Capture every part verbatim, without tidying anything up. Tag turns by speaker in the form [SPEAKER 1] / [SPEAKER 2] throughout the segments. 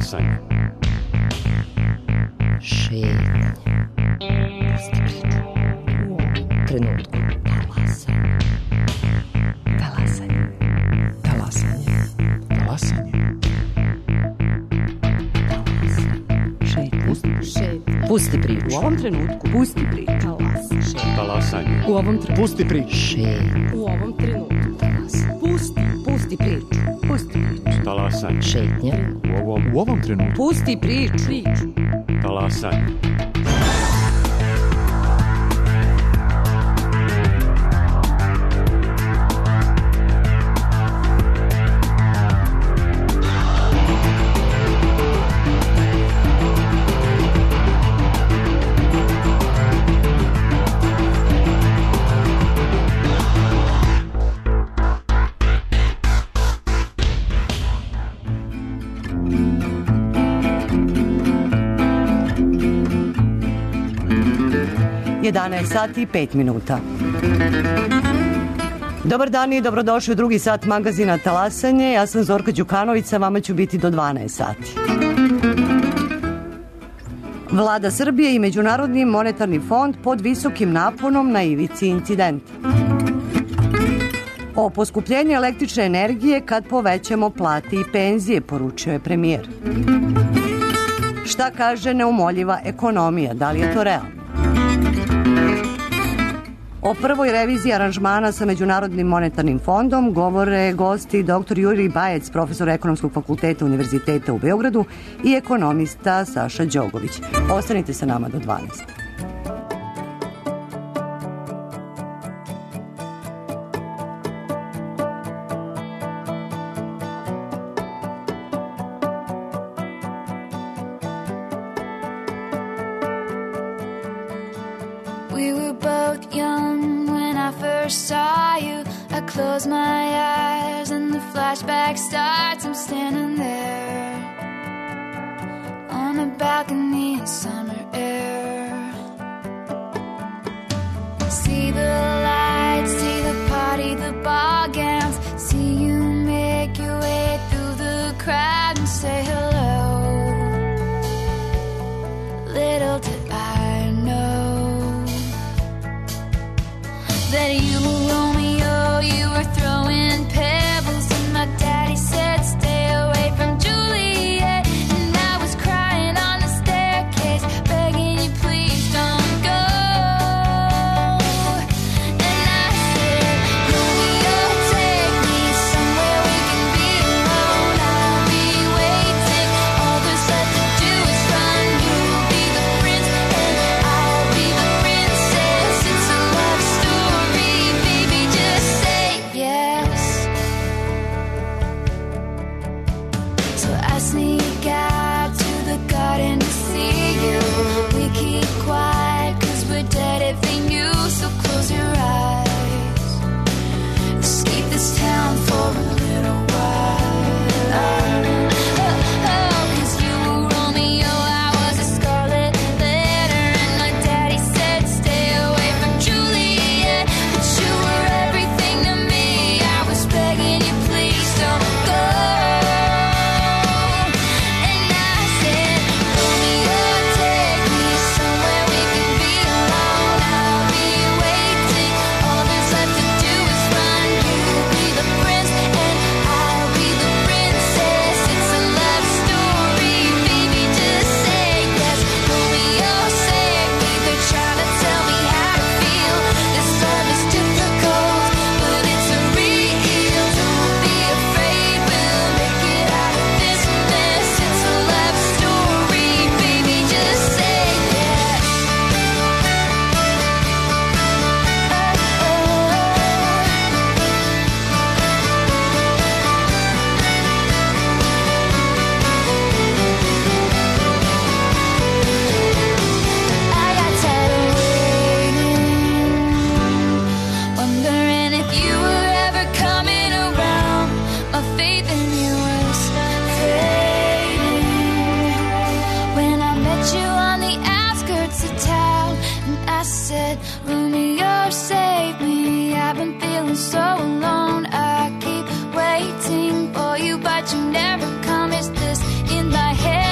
[SPEAKER 1] Talasanje.
[SPEAKER 2] Šetnje. Pusti priču. U ovom trenutku. Talasanje. Talasanje.
[SPEAKER 3] Talasanje. Talasanje.
[SPEAKER 2] Pusti priču.
[SPEAKER 4] U ovom trenutku. Pusti priču. Talas.
[SPEAKER 1] Talasanje.
[SPEAKER 4] U ovom trenutku.
[SPEAKER 3] Pusti priču.
[SPEAKER 2] Šetnje.
[SPEAKER 4] U ovom trenutku.
[SPEAKER 2] Talas.
[SPEAKER 4] Pusti. Pusti priču. Pusti priču.
[SPEAKER 1] Talasanje.
[SPEAKER 2] Šetnje.
[SPEAKER 1] U ovom,
[SPEAKER 3] U ovom trenutku.
[SPEAKER 4] Pusti priču. Priču.
[SPEAKER 1] talasanje.
[SPEAKER 5] jedanaest sati i pet minuta. Dobar dan i dobrodošli u drugi sat magazina Talasanje. Ja sam Zorka Đukanović, sa vama ću biti do dvanaest sati. Vlada Srbije i Međunarodni monetarni fond pod visokim naponom na ivici incidenta. O poskupljenju električne energije kad povećamo plate i penzije, poručio je premijer. Šta kaže neumoljiva ekonomija? Da li je to realno? O prvoj reviziji aranžmana sa Međunarodnim monetarnim fondom govore gosti doktor Jurij Bajec, profesor Ekonomskog fakulteta Univerziteta u Beogradu i ekonomista Saša Đogović. Ostanite sa nama do dvanaest.
[SPEAKER 6] Close my eyes and the flashback starts. I'm standing there on a balcony in summer air. See the lights, see the party, the ball gowns. See you make your way through the crowd and say hello. Little did I know that you were Romeo, you were throwing pebbles, and my daddy said stay away from Juliet, and I was crying on the staircase, begging you please don't go. And I said, Romeo, take me somewhere we can be alone. I'll be waiting, all there's left to do is run. You'll be the prince and I'll be the princess. It's a love story, baby, just say yes. So I sneak out to the garden to see you. We keep quiet cause we're dead if they knew. So close your eyes, escape this town for a little while. Oh, oh, cause you were Romeo, I was a scarlet letter, and my daddy said stay away from Juliet, but you were everything to me. I was begging you please don't go. And I said, Romeo, take me somewhere we can be alone. I'll be waiting, all there's left to do is run. You'll be the prince and I'll be the princess. It's a love story, baby, just say yes. Romeo, save me, they're trying to tell me how to feel. This love is difficult, but it's a real. Don't be afraid, we'll make it out of this mess. It's a love story, baby, just say yes. I got tired of waiting, wondering if you were ever coming around. My faith in you was fading when I met you on the outskirts of town, and I said, Romeo, save me. I've been feeling so alone. I keep waiting for you, but you never come. Is this in my head?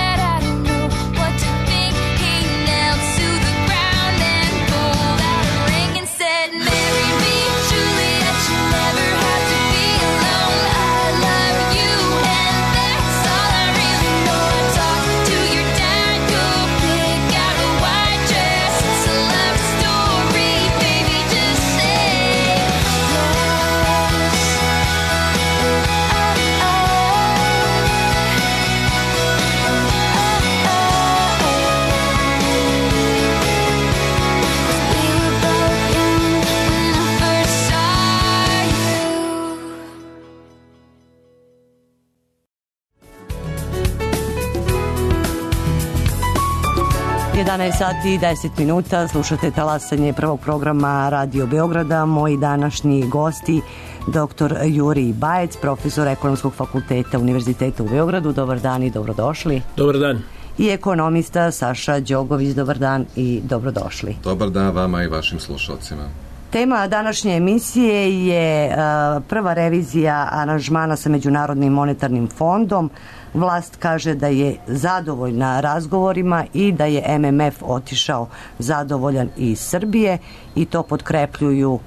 [SPEAKER 5] jedanaest sati i deset minuta, slušate talasanje prvog programa Radio Beograda. Moji današnji gosti, doktor Jurij Bajec, profesor Ekonomskog fakulteta Univerziteta u Beogradu. Dobar dan i dobrodošli.
[SPEAKER 7] Dobar dan.
[SPEAKER 5] I ekonomista Saša Đogović. Dobar dan i dobrodošli.
[SPEAKER 8] Dobar dan vama i vašim slušalcima.
[SPEAKER 5] Tema današnje emisije je uh, prva revizija aranžmana sa Međunarodnim monetarnim fondom. Vlast kaže da je zadovoljna razgovorima i da je M M F otišao zadovoljan iz Srbije i to potkrepljuju uh,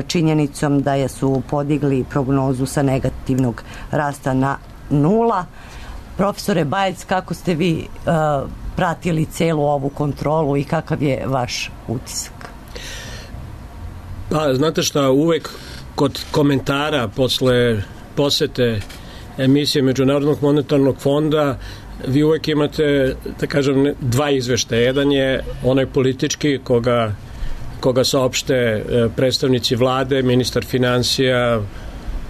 [SPEAKER 5] činjenicom da je su podigli prognozu sa negativnog rasta na nula. Profesore Bajec, kako ste vi uh, pratili celu ovu kontrolu i kakav je vaš utisak?
[SPEAKER 7] Pa, znate šta, uvek kod komentara posle posete emisije Međunarodnog monetarnog fonda vi uvek imate, da kažem, dva izveštaja. Jedan je onaj politički koga, koga saopšte predstavnici vlade, ministar finansija,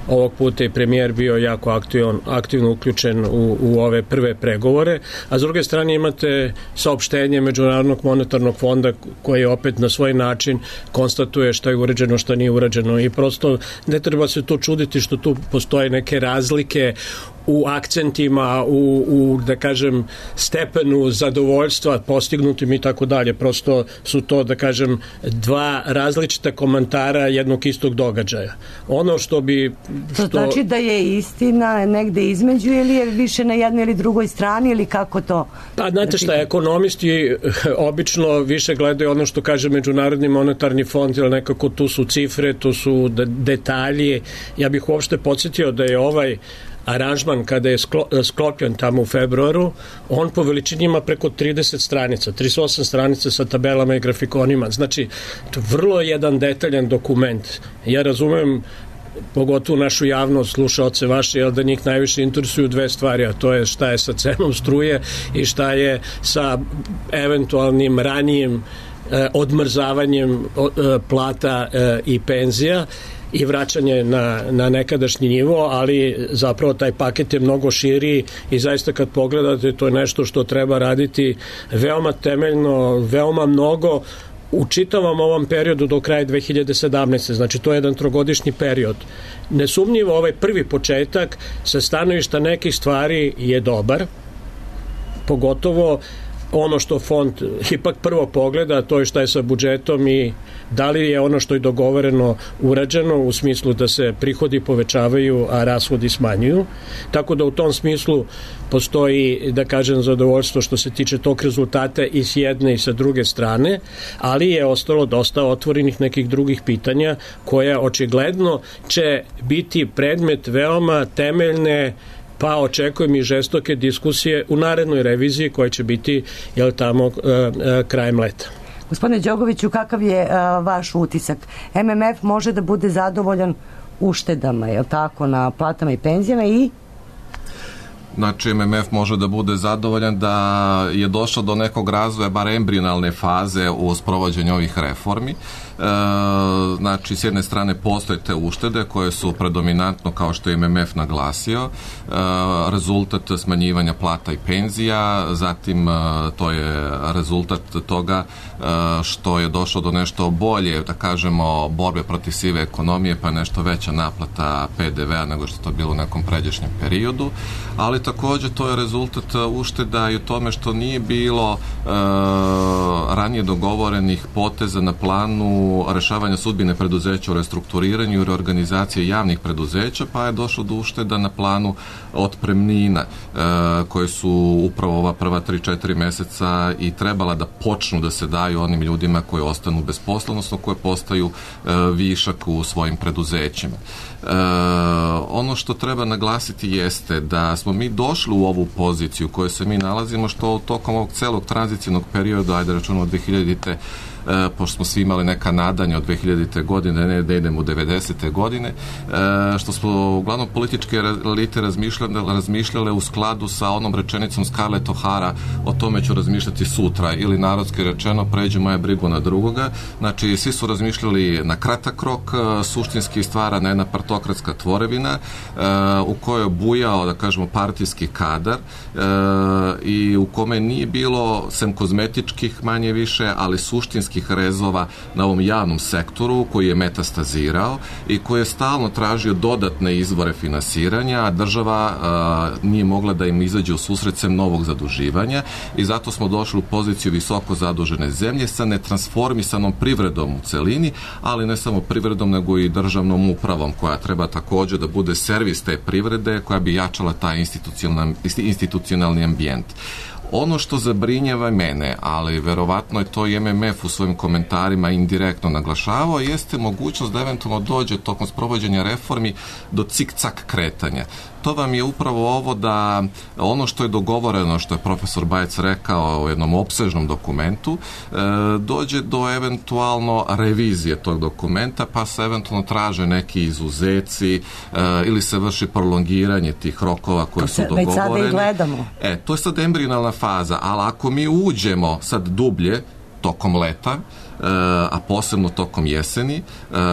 [SPEAKER 7] ovog puta i premijer bio jako aktivno, aktivno uključen u, u ove prve pregovore, a s druge strane imate saopštenje Međunarodnog monetarnog fonda koji opet na svoj način konstatuje šta je urađeno, šta nije urađeno i prosto ne treba se tu čuditi što tu postoje neke razlike u akcentima, u, u da kažem stepenu zadovoljstva postignutim i tako dalje. Prosto su to, da kažem, dva različita komentara jednog istog događaja. Ono što bi... Što...
[SPEAKER 5] To znači da je istina negde između ili je više na jednoj ili drugoj strani ili kako to?
[SPEAKER 7] Pa znate šta, ekonomisti obično više gledaju ono što kaže Međunarodni monetarni fond, ili nekako tu su cifre, tu su detalji. Ja bih uopšte podsjetio da je ovaj aranžman kada je sklopljen tamo u februaru, on po veličini ima preko trideset stranica, trideset osam stranica sa tabelama i grafikonima. Znači, to je vrlo jedan detaljan dokument. Ja razumem pogotovo našu javnost, slušaoce vaše, jer da njih najviše interesuju dve stvari, a to je šta je sa cenom struje i šta je sa eventualnim ranijim eh, odmrzavanjem eh, plata eh, i penzija i vraćanje na, na nekadašnji nivo, ali zapravo taj paket je mnogo širi i zaista kad pogledate to je nešto što treba raditi veoma temeljno, veoma mnogo u čitavom ovom periodu do kraja dve hiljade sedamnaeste. Znači to je jedan trogodišnji period. Nesumnjivo ovaj prvi početak sa stanovišta nekih stvari je dobar, pogotovo ono što fond ipak prvo pogleda, to je šta je sa budžetom i da li je ono što je dogovoreno urađeno u smislu da se prihodi povećavaju, a rashodi smanjuju. Tako da u tom smislu postoji, da kažem, zadovoljstvo što se tiče tog rezultata i s jedne i sa druge strane, ali je ostalo dosta otvorenih nekih drugih pitanja koja očigledno će biti predmet veoma temeljne, pa očekujem i žestoke diskusije u narednoj reviziji koja će biti, jel tamo, uh, uh, krajem leta.
[SPEAKER 5] Gospodine Đogoviću, kakav je uh, vaš utisak? M M F može da bude zadovoljan uštedama, je li tako, na platama i penzijama i...
[SPEAKER 8] Znači, M M F može da bude zadovoljan da je došao do nekog razvoja, bar embrionalne faze u sprovođenju ovih reformi. E, znači, s jedne strane postoje te uštede koje su predominantno, kao što je M M F naglasio, e, rezultat smanjivanja plata i penzija, zatim e, to je rezultat toga e, što je došlo do nešto bolje, da kažemo, borbe protiv sive ekonomije, pa nešto veća naplata P D V-a nego što to bilo u nekom pređašnjem periodu, ali takođe to je rezultat ušteda i u tome što nije bilo e, ranije dogovorenih poteza na planu rešavanja sudbine preduzeća u restrukturiranju i reorganizacije javnih preduzeća, pa je došlo do ušteda na planu otpremnina e, koje su upravo ova prva tri četiri meseca i trebala da počnu da se daju onim ljudima koji ostanu bez posla, odnosno koje postaju e, višak u svojim preduzećima. E, ono što treba naglasiti jeste da smo mi došli u ovu poziciju u kojoj se mi nalazimo, što tokom ovog celog tranzicijnog perioda, ajde računamo od dve hiljadite e, pošto smo svi imali neka nadanja od dve hiljadite. godine, ne da idemo u devedesete. godine, e, što smo uglavnom političke elite razmišljale, razmišljale u skladu sa onom rečenicom Scarlett O'Hara, o tome ću razmišljati sutra, ili narodski rečeno, pređu moja brigu na drugoga. Znači, svi su razmišljali na kratak rok, suštinski stvarana jedna partokratska tvorevina e, u kojoj je bujao, da kažemo, partijski kadar e, i u kome nije bilo, sem kozmetičkih manje više, ali suštinskih rezova na ovom javnom sektoru koji je metastazirao i koji je stalno tražio dodatne izvore finansiranja, a država a, nije mogla da im izađe u susret sem novog zaduživanja i zato smo došli u poziciju visoko zadužene zemlje sa netransformisanom privredom u celini, ali ne samo privredom, nego i državnom upravom koja treba također da bude servis te privrede, koja bi jačala taj institucionalni, institucionalni ambijent. Ono što zabrinjava mene, ali verovatno je to i M M F u svojim komentarima indirektno naglašavao, jeste mogućnost da eventualno dođe tokom sprovođenja reformi do cik-cak kretanja. To vam je upravo ovo da ono što je dogovoreno, što je profesor Bajec rekao u jednom opsežnom dokumentu, e, dođe do eventualno revizije tog dokumenta, pa se eventualno traže neki izuzeci e, ili se vrši prolongiranje tih rokova koji su dogovoreni.
[SPEAKER 5] Već sada i gledamo.
[SPEAKER 8] E, to je sad embrionalna faza, ali ako mi uđemo sad dublje tokom leta, a posebno tokom jeseni,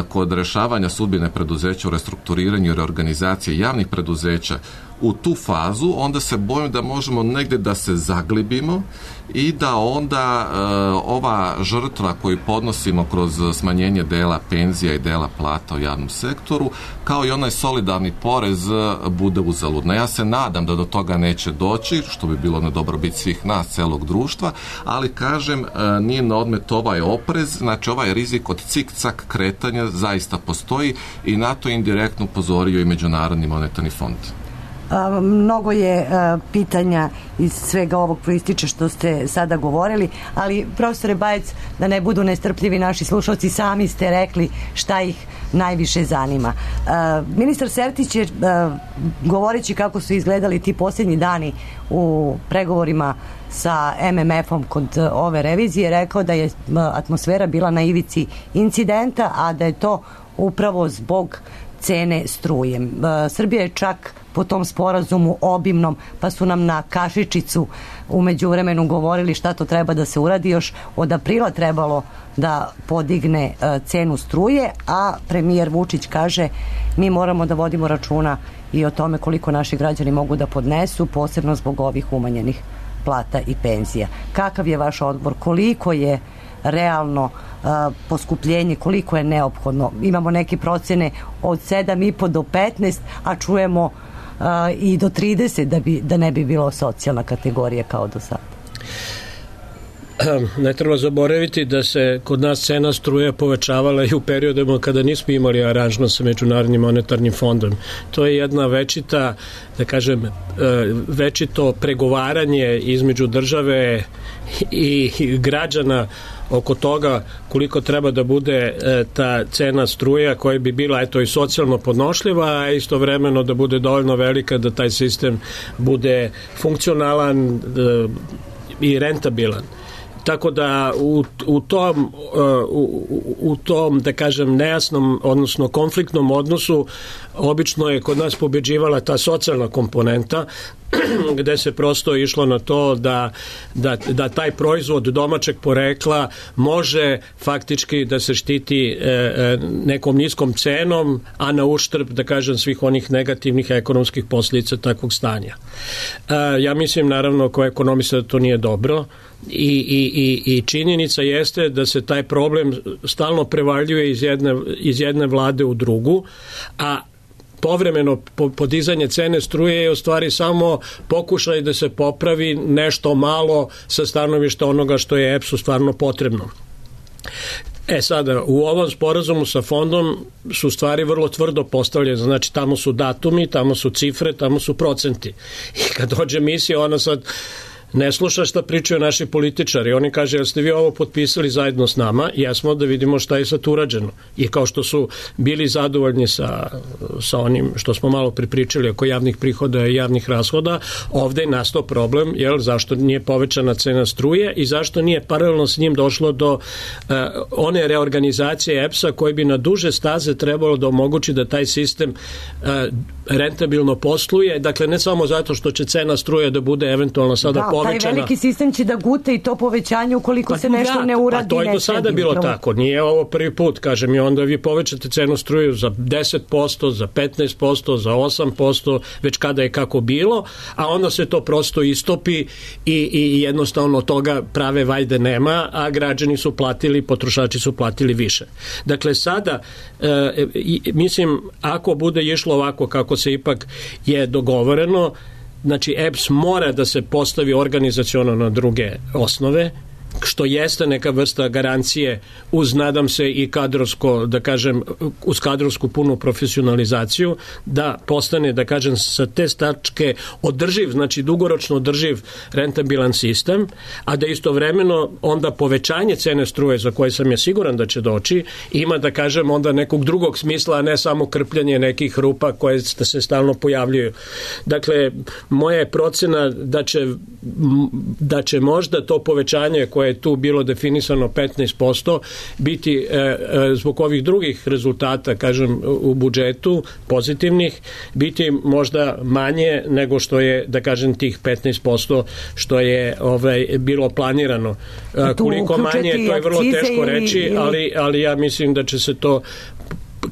[SPEAKER 8] kod rešavanja sudbine preduzeća u restrukturiranju i reorganizaciji javnih preduzeća u tu fazu, onda se bojim da možemo negde da se zaglibimo i da onda e, ova žrtva koju podnosimo kroz smanjenje dela penzija i dela plata u javnom sektoru, kao i onaj solidarni porez, bude uzaludna. Ja se nadam da do toga neće doći, što bi bilo na dobrobit svih nas, celog društva, ali kažem, e, nije na odmet ovaj oprez, znači ovaj rizik od cik-cak kretanja zaista postoji i na to indirektno upozorio i Međunarodni monetarni fond.
[SPEAKER 5] A, mnogo je a, pitanja iz svega ovog proističe što ste sada govorili, ali profesore Bajec, da ne budu nestrpljivi naši slušalci, sami ste rekli šta ih najviše zanima. A, ministar Sertić je a, govoreći kako su izgledali ti posljednji dani u pregovorima sa M M F-om kod ove revizije, rekao da je atmosfera bila na ivici incidenta, a da je to upravo zbog cene struje. Srbija je čak po tom sporazumu obimnom, pa su nam na kašičicu u međuvremenu govorili šta to treba da se uradi, još od aprila trebalo da podigne cenu struje, a premijer Vučić kaže mi moramo da vodimo računa i o tome koliko naši građani mogu da podnesu, posebno zbog ovih umanjenih plata i penzija. Kakav je vaš odgovor? Koliko je realno uh, poskupljenje, koliko je neophodno? Imamo neke procene od sedam i po do petnaest, a čujemo uh, i do trideset da, bi, da ne bi bilo socijalna kategorija kao do sada.
[SPEAKER 7] Ne treba zaboraviti da se kod nas cena struje povećavala i u periodima kada nismo imali aranžman sa Međunarodnim monetarnim fondom. To je jedna večita, da kažem, večito pregovaranje između države i građana oko toga koliko treba da bude e, ta cena struja koja bi bila eto i socijalno podnošljiva, a istovremeno da bude dovoljno velika da taj sistem bude funkcionalan e, i rentabilan. Tako da u, u tom u, u tom da kažem nejasnom, odnosno konfliktnom odnosu obično je kod nas pobeđivala ta socijalna komponenta gde se prosto išlo na to da, da, da taj proizvod domaćeg porekla može faktički da se štiti e, nekom niskom cenom, a na uštrb, da kažem, svih onih negativnih ekonomskih posljedica takvog stanja. E, ja mislim, naravno, kao ekonomista da to nije dobro i, i, i, i činjenica jeste da se taj problem stalno prevaljuje iz jedne, iz jedne vlade u drugu, a povremeno podizanje cene struje je u stvari samo pokušaj da se popravi nešto malo sa stanovišta onoga što je E P S-u stvarno potrebno. E sada, u ovom sporazumu sa fondom su stvari vrlo tvrdo postavljene, znači tamo su datumi, tamo su cifre, tamo su procenti. I kad dođe misija, ona sad ne sluša šta pričaju naši političari. Oni kaže, jel ste vi ovo potpisali zajedno s nama? Jesmo, da vidimo šta je sad urađeno. I kao što su bili zadovoljni sa, sa onim što smo malo pripričali oko javnih prihoda i javnih rashoda, ovde je nastao problem, jel, zašto nije povećana cena struje i zašto nije paralelno s njim došlo do uh, one reorganizacije E P S-a koji bi na duže staze trebalo da omogući da taj sistem uh, rentabilno posluje, dakle ne samo zato što će cena struje da bude eventualno sada
[SPEAKER 5] da,
[SPEAKER 7] povećana.
[SPEAKER 5] Da, taj veliki sistem će da gute i to povećanje ukoliko
[SPEAKER 7] pa,
[SPEAKER 5] se nešto
[SPEAKER 7] da,
[SPEAKER 5] ne uradi.
[SPEAKER 7] A to je do sada bilo upravo tako, nije ovo prvi put, kažem, i onda vi povećate cenu struju za deset posto, za petnaest posto, za osam posto, već kada je kako bilo, a onda se to prosto istopi i, i jednostavno toga prave vajde nema, a građani su platili, potrošači su platili više. Dakle, sada, e, mislim, ako bude išlo ovako kako se ipak je dogovoreno, znači E P S mora da se postavi organizaciono na druge osnove, što jeste neka vrsta garancije uz, nadam se, i kadrovsko, da kažem, uz kadrovsku punu profesionalizaciju, da postane, da kažem, sa te tačke održiv, znači dugoročno održiv rentabilan sistem, a da istovremeno onda povećanje cene struje, za koje sam ja siguran da će doći, ima, da kažem, onda nekog drugog smisla, a ne samo krpljanje nekih rupa koje se stalno pojavljuju. Dakle, moja je procena da će, da će možda to povećanje koje je tu bilo definisano petnaest posto biti e, e, zbog ovih drugih rezultata, kažem, u budžetu pozitivnih, biti možda manje nego što je, da kažem, tih petnaest posto što je ovaj, bilo planirano. E, koliko manje, to je vrlo teško reći, ili... ali, ali ja mislim da će se to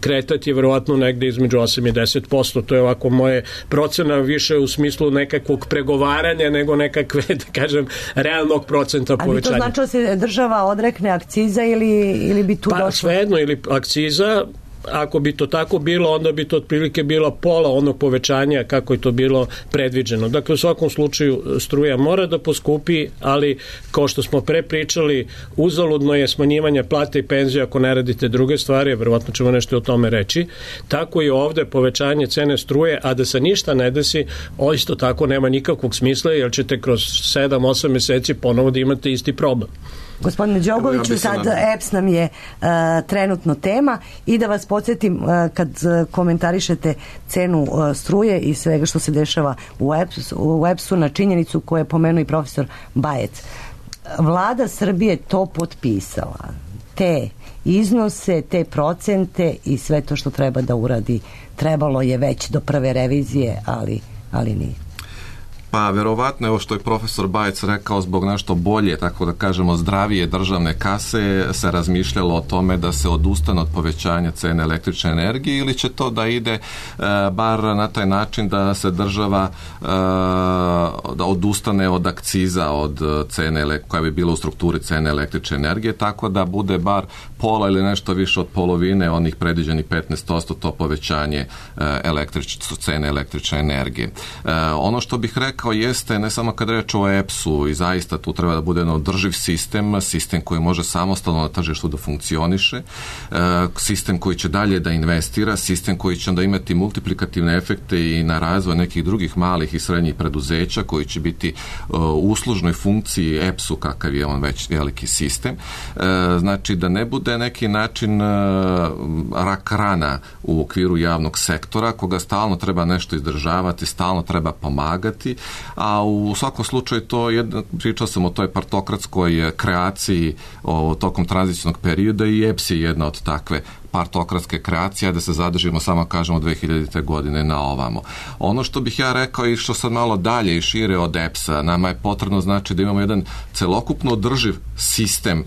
[SPEAKER 7] kretati verovatno negde između osam i deset posto. To je ovako moje procena više u smislu nekakvog pregovaranja nego nekakve, da kažem, realnog procenta povećanja.
[SPEAKER 5] Ali to znači da se država odrekne akciza ili, ili bi tu
[SPEAKER 7] pa,
[SPEAKER 5] došlo? Pa
[SPEAKER 7] svejedno, ili akciza, ako bi to tako bilo, onda bi to otprilike bilo pola onog povećanja kako je to bilo predviđeno. Dakle, u svakom slučaju struja mora da poskupi, ali kao što smo pre pričali, uzaludno je smanjivanje plate i penzije ako ne radite druge stvari, verovatno ćemo nešto o tome reći. Tako i ovde povećanje cene struje, a da se ništa ne desi, o isto tako nema nikakvog smisla, jer ćete kroz sedam osam meseci ponovo da imate isti problem.
[SPEAKER 5] Gospodine Đogoviću, ja sad E P S nam je uh, trenutno tema i da vas podsjetim, uh, kad uh, komentarišete cenu uh, struje i svega što se dešava u E P S, u E P S-u na činjenicu koju je pomenuo i profesor Bajec. Vlada Srbije to potpisala. Te iznose, te procente i sve to što treba da uradi trebalo je već do prve revizije, ali, ali nije.
[SPEAKER 8] Pa verovatno, evo što je profesor Bajec rekao, zbog nešto bolje, tako da kažemo zdravije državne kase se razmišljalo o tome da se odustane od povećanja cene električne energije, ili će to da ide e, bar na taj način da se država e, da odustane od akciza od cene koja bi bila u strukturi cene električne energije, tako da bude bar pola ili nešto više od polovine onih predviđenih petnaest posto to povećanje e, električ, cene električne energije. E, ono što bih rekao jeste, ne samo kad reč o E P S-u, i zaista tu treba da bude jedan održiv sistem, sistem koji može samostalno na tržištu da funkcioniše, sistem koji će dalje da investira, sistem koji će onda imati multiplikativne efekte i na razvoj nekih drugih malih i srednjih preduzeća koji će biti u uslužnoj funkciji E P S-u kakav je on već veliki sistem. Znači da ne bude neki način rak rana u okviru javnog sektora koga stalno treba nešto izdržavati, stalno treba pomagati, a u svakom slučaju to jedna, pričao sam o toj partokratskoj kreaciji o, tokom tranzicijnog perioda i E P S je jedna od takve partokratske kreacije, da se zadržimo samo kažemo dve hiljadite godine na ovamo. Ono što bih ja rekao i što sad malo dalje i šire od E P S-a, nama je potrebno znači da imamo jedan celokupno održiv sistem,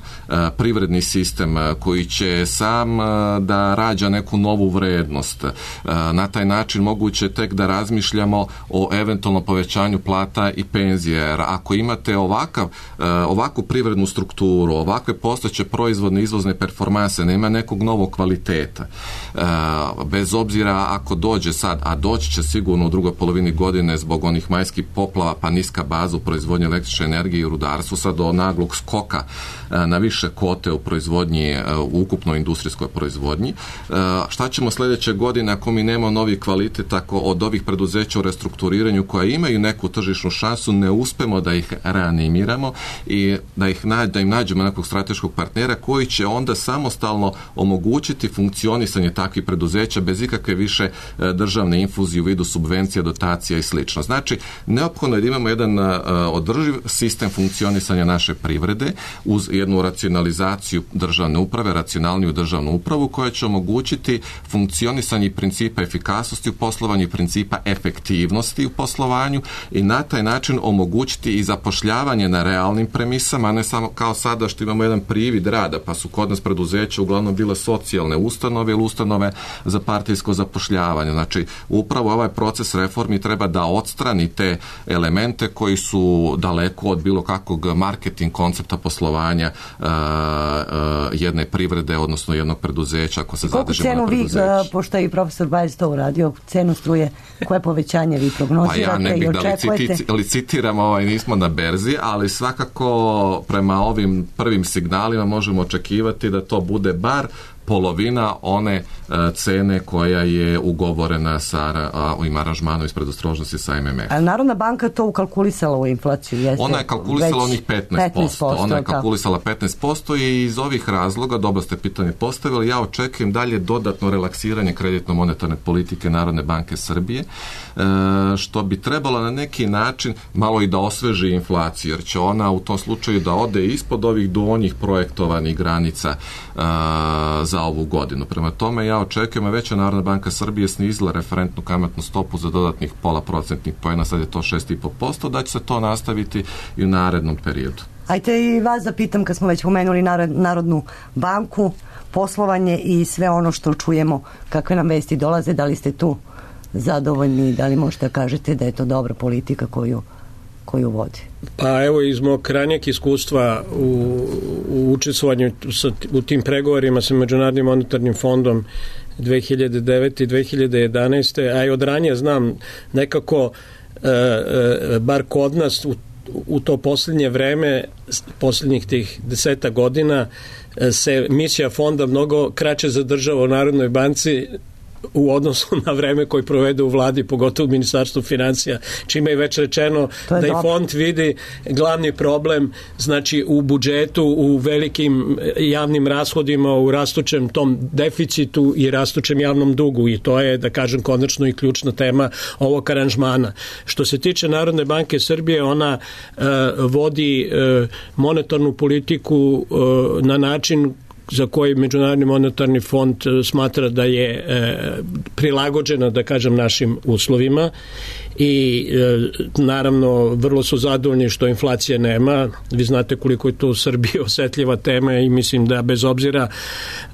[SPEAKER 8] privredni sistem koji će sam da rađa neku novu vrednost. Na taj način moguće tek da razmišljamo o eventualno povećanju plata i penzije, jer ako imate ovakav, ovakvu privrednu strukturu, ovakve postojeće proizvodne izvozne performanse, nema nekog novog kvaliteta kvaliteta. E, bez obzira ako dođe sad, a doći će sigurno u drugoj polovini godine zbog onih majskih poplava, pa niska baza u proizvodnji električne energije i u rudarstvu, sad do naglog skoka e, na više kote u proizvodnji, e, u ukupnoj industrijskoj proizvodnji. E, šta ćemo sljedeće godine ako mi nemamo novi kvalitet, ako od ovih preduzeća u restrukturiranju koja imaju neku tržišnu šansu ne uspemo da ih reanimiramo i da, ih nađ, da im nađemo nekog strateškog partnera koji će onda samostalno omogućiti funkcionisanje takvih preduzeća bez ikakve više državne infuzije u vidu subvencija, dotacija i slično. Znači, neophodno je da imamo jedan uh, održiv sistem funkcionisanja naše privrede uz jednu racionalizaciju državne uprave, racionalniju državnu upravu koja će omogućiti funkcionisanje principa efikasnosti u poslovanju i principa efektivnosti u poslovanju i na taj način omogućiti i zapošljavanje na realnim premisama, a ne samo kao sada što imamo jedan privid rada, pa su kod nas preduzeća uglavnom bile socijalne ustanove ili ustanove za partijsko zapošljavanje. Znači, upravo ovaj proces reformi treba da odstrani te elemente koji su daleko od bilo kakvog marketing koncepta poslovanja uh, uh, jedne privrede, odnosno jednog preduzeća, ako se zadržimo na preduzeću.
[SPEAKER 5] Koliko cenu vi, pošto je i profesor Bajec to uradio, cenu struje, koje povećanje vi prognozirate
[SPEAKER 8] pa ja ne bih
[SPEAKER 5] i očekujete?
[SPEAKER 8] Da licitiram, ovaj, nismo na berzi, ali svakako prema ovim prvim signalima možemo očekivati da to bude bar polovina one uh, cene koja je ugovorena sa uh, ovim aranžmanom iz predostrožnosti sa M M F.
[SPEAKER 5] A Narodna banka to ukalkulisala u inflaciju? Jeste
[SPEAKER 8] ona je kalkulisala onih petnaest posto.
[SPEAKER 5] petnaest posto.
[SPEAKER 8] Ona je kalkulisala petnaest posto i iz ovih razloga, dobro ste pitanje postavili, ja očekujem dalje dodatno relaksiranje kreditno-monetarne politike Narodne banke Srbije, uh, što bi trebalo na neki način malo i da osveži inflaciju, jer će ona u tom slučaju da ode ispod ovih donjih projektovanih granica uh, za ovu godinu. Prema tome ja očekujem, a već je Narodna banka Srbije snizila referentnu kamatnu stopu za dodatnih pola procentnih poena, sad je to šest zarez pet posto, da će se to nastaviti i u narednom periodu.
[SPEAKER 5] Ajte i vas da pitam, kad smo već pomenuli Narodnu banku, poslovanje i sve ono što čujemo, kakve nam vesti dolaze, da li ste tu zadovoljni, da li možete kažete da je to dobra politika koju koju vodi?
[SPEAKER 7] Pa evo, iz mog ranijeg iskustva u, u učestvovanju sa, u tim pregovorima sa Međunarodnim monetarnim fondom dve hiljade devete i dve hiljade jedanaeste, a i od ranije znam nekako e, e, bar kod nas u, u to posljednje vreme, posljednjih tih deseta godina, se misija fonda mnogo kraće zadržava u Narodnoj banci u odnosu na vreme koji provede u vladi, pogotovo u Ministarstvu financija, čime je već rečeno da i fond vidi glavni problem, znači u budžetu, u velikim javnim rashodima, u rastućem tom deficitu i rastućem javnom dugu, i to je, da kažem, konačno i ključna tema ovog aranžmana. Što se tiče Narodne banke Srbije, ona uh, vodi uh, monetarnu politiku uh, na način za koji Međunarodni monetarni fond smatra da je e, prilagođena, da kažem, našim uslovima i e, naravno vrlo su zadovoljni što inflacije nema. Vi znate koliko je to u Srbiji osetljiva tema i mislim da bez obzira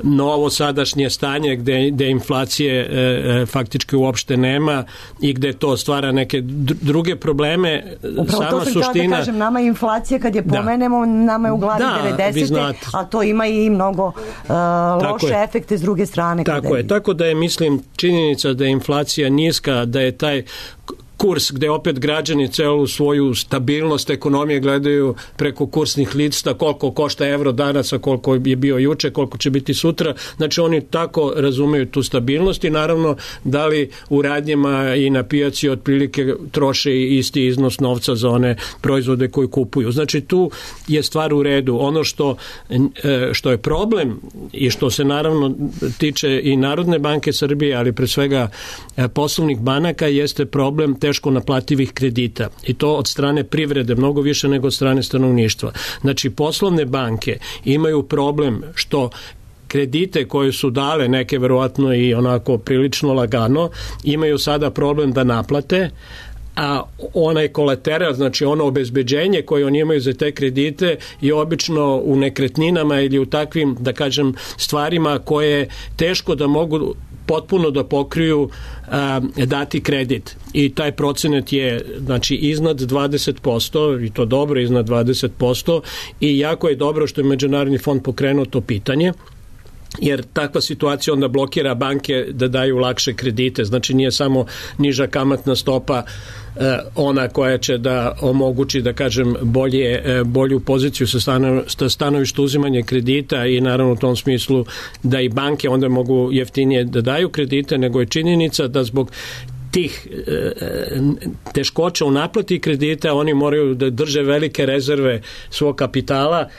[SPEAKER 7] na ovo sadašnje stanje gde, gde inflacije e, e, faktički uopšte nema i gde to stvara neke druge probleme.
[SPEAKER 5] Upravo
[SPEAKER 7] sama
[SPEAKER 5] to sam
[SPEAKER 7] suština,
[SPEAKER 5] da kažem, nama je inflacija kad je pomenemo, da, nama je u glavi
[SPEAKER 7] da,
[SPEAKER 5] devedesete, a to ima i mnogo uh, loše
[SPEAKER 7] je.
[SPEAKER 5] efekte s druge strane.
[SPEAKER 7] Tako je, tako da je, mislim, činjenica da je inflacija niska, da je taj kurs gde opet građani celu svoju stabilnost ekonomije gledaju preko kursnih lista, koliko košta evro danas, a koliko je bio juče, koliko će biti sutra. Znači oni tako razumeju tu stabilnost i naravno da li u radnjama i na pijaci otprilike troše isti iznos novca za one proizvode koji kupuju. Znači tu je stvar u redu. Ono što, što je problem i što se naravno tiče i Narodne banke Srbije, ali pre svega poslovnih banaka, jeste problem teško naplativih kredita i to od strane privrede mnogo više nego od strane stanovništva. Znači poslovne banke imaju problem što kredite koje su dale, neke verovatno i onako prilično lagano, imaju sada problem da naplate, a onaj kolateral, znači ono obezbeđenje koje oni imaju za te kredite je obično u nekretninama ili u takvim, da kažem, stvarima koje teško da mogu potpuno da pokriju a, dati kredit. I taj procenat je, znači, iznad dvadeset posto i to dobro iznad dvadeset posto i jako je dobro što je Međunarodni fond pokrenuo to pitanje. jer takva situacija onda blokira banke da daju lakše kredite. Znači nije samo niža kamatna stopa eh, ona koja će da omogući, da kažem, bolje, eh, bolju poziciju sa, stano, sa stanovišta uzimanja kredita i naravno u tom smislu da i banke onda mogu jeftinije da daju kredite, nego je činjenica da zbog tih e, teškoća u naplati kredita oni moraju da drže velike rezerve svog kapitala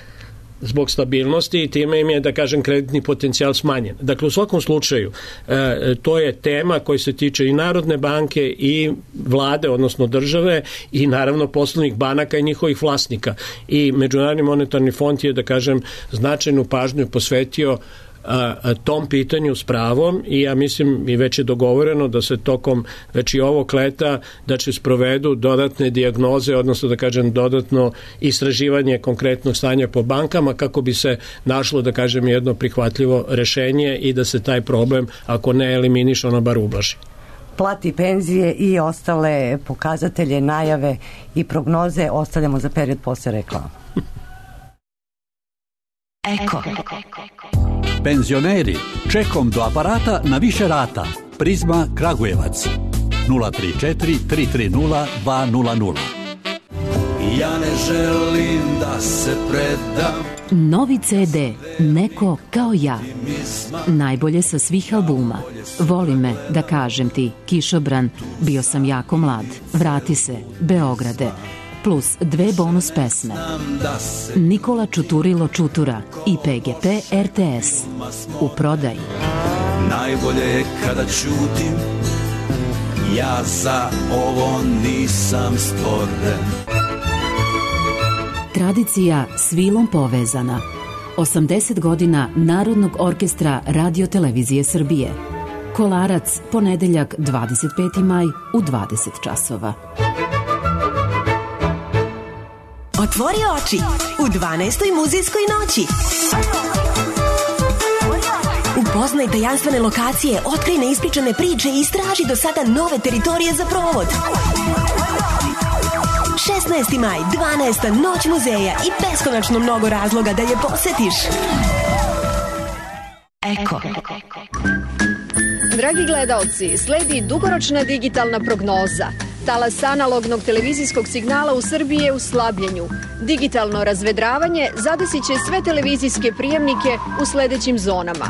[SPEAKER 7] zbog stabilnosti i time im je, da kažem, kreditni potencijal smanjen. Dakle, u svakom slučaju, e, to je tema koja se tiče i Narodne banke i vlade, odnosno države i naravno poslovnih banaka i njihovih vlasnika. I Međunarodni monetarni fond je, da kažem, značajnu pažnju posvetio A, a, tom pitanju s pravom i ja mislim i već je dogovoreno da se tokom već i ovog leta da će sprovedu dodatne dijagnoze, odnosno da kažem dodatno istraživanje konkretnog stanja po bankama kako bi se našlo, da kažem, jedno prihvatljivo rešenje i da se taj problem, ako ne eliminiše, ono bar ublaži.
[SPEAKER 5] Plati, penzije i ostale pokazatelje, najave i prognoze ostavljamo za period posle reklama.
[SPEAKER 2] Eko.
[SPEAKER 9] Penzioneri, čekom do aparata na više rata. Prizma Kragujevac. nula tri četiri tri tri nula dva nula nula.
[SPEAKER 10] Ja ne želim da se predam.
[SPEAKER 11] Novi ce de, Neko kao ja. Najbolje sa svih albuma. Voli me, da kažem ti, Kišobran, Bio sam jako mlad, Vrati se, Beograde, plus dve bonus pesme. Nikola Čuturilo Čutura i pe ge pe er te es. U prodaji.
[SPEAKER 10] Najbolje je kada ćutim, ja za ovo nisam stvoren.
[SPEAKER 11] Tradicija s vilom povezana. osamdeset godina Narodnog orkestra Radio Televizije Srbije. Kolarac, ponedeljak dvadeset peti maj u dvadeset časova.
[SPEAKER 12] Otvori oči u dvanaestoj muzejskoj noći. Upoznaj tajanstvene lokacije, otkrij neispričane priče i istraži do sada nove teritorije za provod. šesnaesti maj, dvanaesta noć muzeja i beskonačno mnogo razloga da je posetiš.
[SPEAKER 2] Eko.
[SPEAKER 13] Dragi gledaoci, sledi dugoročna digitalna prognoza. Talas analognog televizijskog signala u Srbiji je u slabljenju. Digitalno razvedravanje zadesit će sve televizijske prijemnike u sledećim zonama.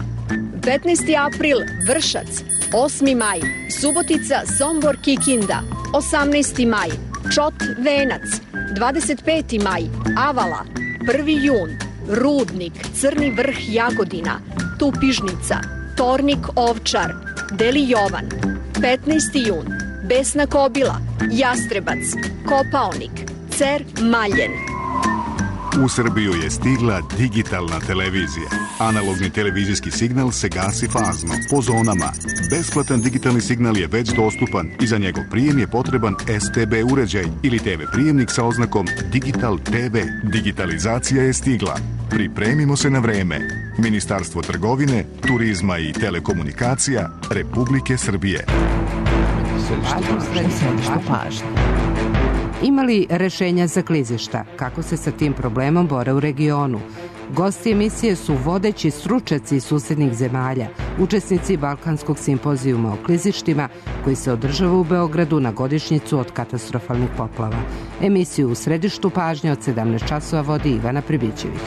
[SPEAKER 13] petnaesti april Vršac, osmi maj Subotica, Sombor, Kikinda, osamnaesti maj Čot, Venac, dvadeset peti maj Avala, prvi jun Rudnik, Crni Vrh, Jagodina, Tupižnica, Tornik, Ovčar, Deli Jovan, petnaesti jun Besna Kobila, Jastrebac, Kopaonik, Cer, Maljen.
[SPEAKER 14] U Srbiju je stigla digitalna televizija. Analogni televizijski signal se gasi fazno, po zonama. Besplatan digitalni signal je već dostupan i za njegov prijem je potreban es te be uređaj ili te ve prijemnik sa oznakom Digital te ve. Digitalizacija je stigla. Pripremimo se na vreme. Ministarstvo trgovine, turizma i telekomunikacija Republike Srbije.
[SPEAKER 15] Središte pažnje. Ima li rešenja za klizišta? Kako se sa tim problemom bore u regionu? Gosti emisije su vodeći stručnjaci iz susednih zemalja, učesnici Balkanskog simpozijuma o klizištima koji se održava u Beogradu na godišnjicu od katastrofalnih poplava. Emisiju u središtu pažnje od sedamnaest časova vodi Ivana Pribićević.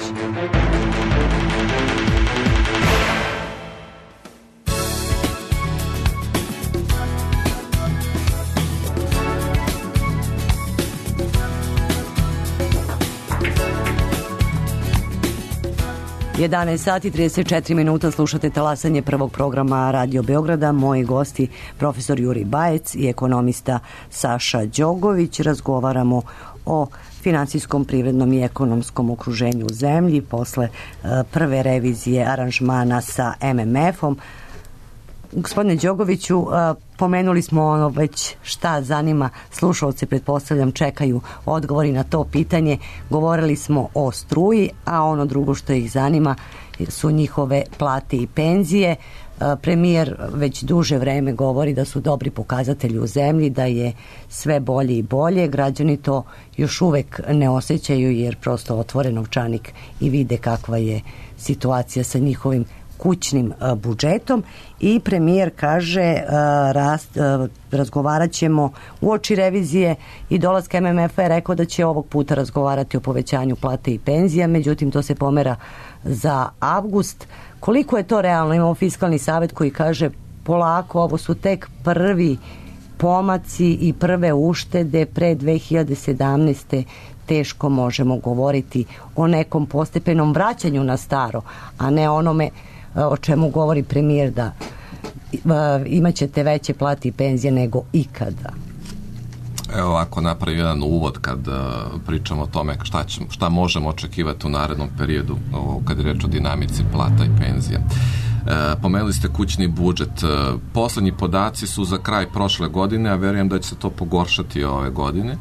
[SPEAKER 5] jedanaest sati trideset četiri minuta, slušate talasanje prvog programa Radio Beograda. Moji gosti, profesor Jurij Bajec i ekonomista Saša Đogović. Razgovaramo o finansijskom, privrednom i ekonomskom okruženju u zemlji posle uh, prve revizije aranžmana sa em em efom. Gospodine Đogoviću, uh, pomenuli smo ono već šta zanima slušalce, pretpostavljam čekaju odgovori na to pitanje. Govorili smo o struji, a ono drugo što ih zanima su njihove plate i penzije. Premijer već duže vreme govori da su dobri pokazatelji u zemlji, da je sve bolje i bolje. Građani to još uvek ne osjećaju jer prosto otvore novčanik i vide kakva je situacija sa njihovim kućnim budžetom i premijer kaže rast, razgovarat ćemo uoči revizije i dolaska M M F-a je rekao da će ovog puta razgovarati o povećanju plate i penzija, međutim to se pomera za avgust. Koliko je to realno? Imamo Fiskalni savet koji kaže polako, ovo su tek prvi pomaci i prve uštede, pre dve hiljade sedamnaeste teško možemo govoriti o nekom postepenom vraćanju na staro, a ne onome o čemu govori premijer da imat ćete veće plate i penzije nego ikada.
[SPEAKER 8] Evo ovako napravi jedan uvod kad uh, pričamo o tome šta, će, šta možemo očekivati u narednom periodu o, kad je reč o dinamici plata i penzija. E, pomenuli ste kućni budžet. E, poslednji podaci su za kraj prošle godine, a verujem da će se to pogoršati ove godine, e,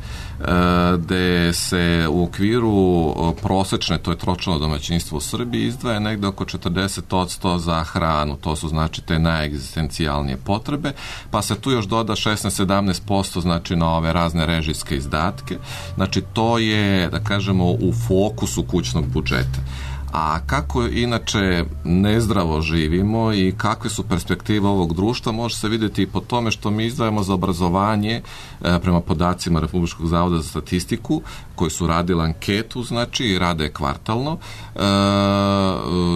[SPEAKER 8] gde se u okviru prosečne, to je tročlano domaćinstvo u Srbiji, izdvaja negde oko četrdeset posto za hranu, to su znači te najegzistencijalnije potrebe, pa se tu još doda šesnaest do sedamnaest posto znači na ove razne režijske izdatke, znači to je, da kažemo, u fokusu kućnog budžeta. A kako inače nezdravo živimo i kakve su perspektive ovog društva može se vidjeti i po tome što mi izdvajamo za obrazovanje e, prema podacima Republičkog zavoda za statistiku koji su radili anketu, znači i rade kvartalno. E,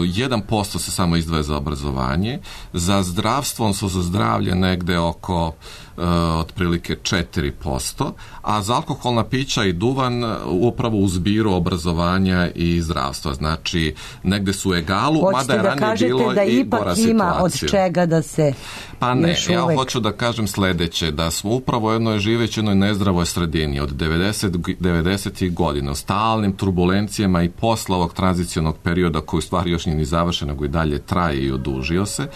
[SPEAKER 8] jedan posto se samo izdvaja za obrazovanje, za zdravstvo, odnosno za zdravlje negde oko Uh, otprilike četiri posto, a za alkoholna pića i duvan upravo u zbiru obrazovanja i zdravstva. Znači, negde su u egalu,
[SPEAKER 5] hoćete
[SPEAKER 8] mada je
[SPEAKER 5] da
[SPEAKER 8] ranije bilo
[SPEAKER 5] da
[SPEAKER 8] i gora situacija.
[SPEAKER 5] Ima od čega da se
[SPEAKER 8] Pa ne, ja
[SPEAKER 5] uvek...
[SPEAKER 8] hoću da kažem sledeće, da smo upravo u jednoj živeći jednoj nezdravoj sredini od devedesetih godina, u stalnim turbulencijama i posle ovog tranzicionog perioda koji u stvari još nije ni završen, nego i dalje traje i odužio se.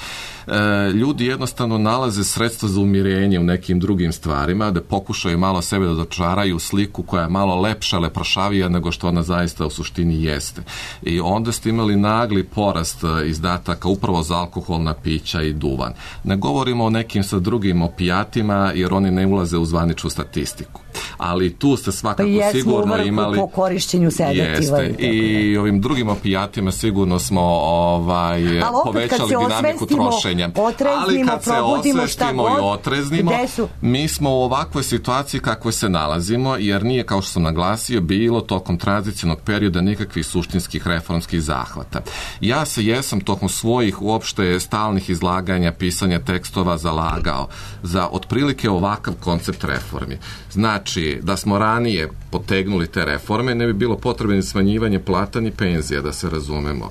[SPEAKER 8] E, ljudi jednostavno nalaze sredstva za umirenje u nekim drugim stvarima, da pokušaju malo sebe da dočaraju sliku koja je malo lepša, leprošavija nego što ona zaista u suštini jeste. I onda ste imali nagli porast izdataka upravo za alkoholna pića i duvan. Ne govorimo o nekim sa drugim opijatima jer oni ne ulaze u zvaničnu statistiku. Ali tu ste svakako
[SPEAKER 5] pa
[SPEAKER 8] sigurno imali
[SPEAKER 5] po korišćenju sedativa.
[SPEAKER 8] Jeste. I ovim drugim opijatima sigurno smo ovaj, povećali dinamiku trošenja. Ali kad se osvestimo i otreznimo, su... mi smo u ovakvoj situaciji kakvoj se nalazimo, jer nije, kao što sam naglasio, bilo tokom tranzicionog perioda nikakvih suštinskih reformskih zahvata. Ja se jesam tokom svojih uopšte stalnih izlaganja, pisanja tekstova zalagao za otprilike ovakav koncept reformi. Znači, da smo ranije potegnuli te reforme, ne bi bilo potrebno ni smanjivanje plata ni penzija, da se razumemo.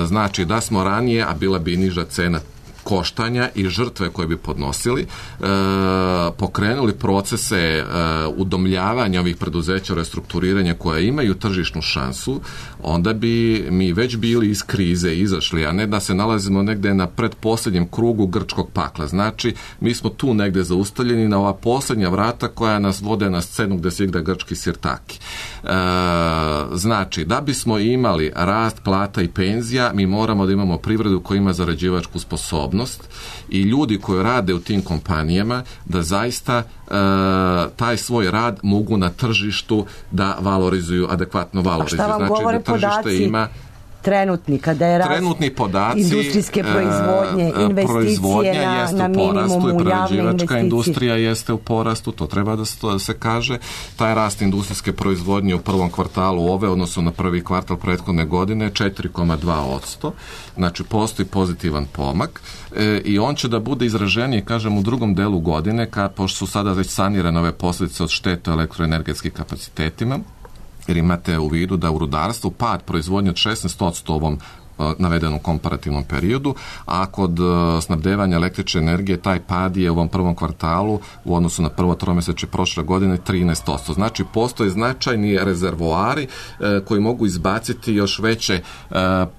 [SPEAKER 8] Znači, da smo ranije, a bila bi niža cena koštanja i žrtve koje bi podnosili, e, pokrenuli procese e, udomljavanja ovih preduzeća, restrukturiranja koja imaju tržišnu šansu, onda bi mi već bili iz krize izašli, a ne da se nalazimo negde na predposlednjem krugu grčkog pakla. Znači, mi smo tu negde zaustavljeni na ova poslednja vrata koja nas vode na scenu gde se igra grčki sirtaki. E, znači, da bismo imali rast plata i penzija, mi moramo da imamo privredu koja ima zarađivačku sposobnost i ljudi koji rade u tim kompanijama da zaista e, taj svoj rad mogu na tržištu da valorizuju, adekvatno valorizuju.
[SPEAKER 5] A šta vam
[SPEAKER 8] znači,
[SPEAKER 5] govore
[SPEAKER 8] da tržište
[SPEAKER 5] podaci
[SPEAKER 8] ima
[SPEAKER 5] trenutni, kada je rast
[SPEAKER 8] trenutni podaci,
[SPEAKER 5] industrijske proizvodnje, investicije na, na minimumu, javne investicije.
[SPEAKER 8] Industrija jeste u porastu, to treba da se, da se kaže. Taj rast industrijske proizvodnje u prvom kvartalu ove, odnosno na prvi kvartal prethodne godine, četiri zarez dva posto. Znači, postoji pozitivan pomak e, i on će da bude izraženiji, kažem, u drugom delu godine, kad, pošto su sada već sanirane ove posljedice od štete elektroenergetskim kapacitetima, jer imate u vidu da u rudarstvu pad proizvodnje od šesnaest posto ovom navedenom komparativnom periodu, a kod snabdevanja električne energije taj pad je u ovom prvom kvartalu u odnosu na prvo tromesečje prošle godine trinaest posto. Znači, postoje značajni rezervoari e, koji mogu izbaciti još veće e,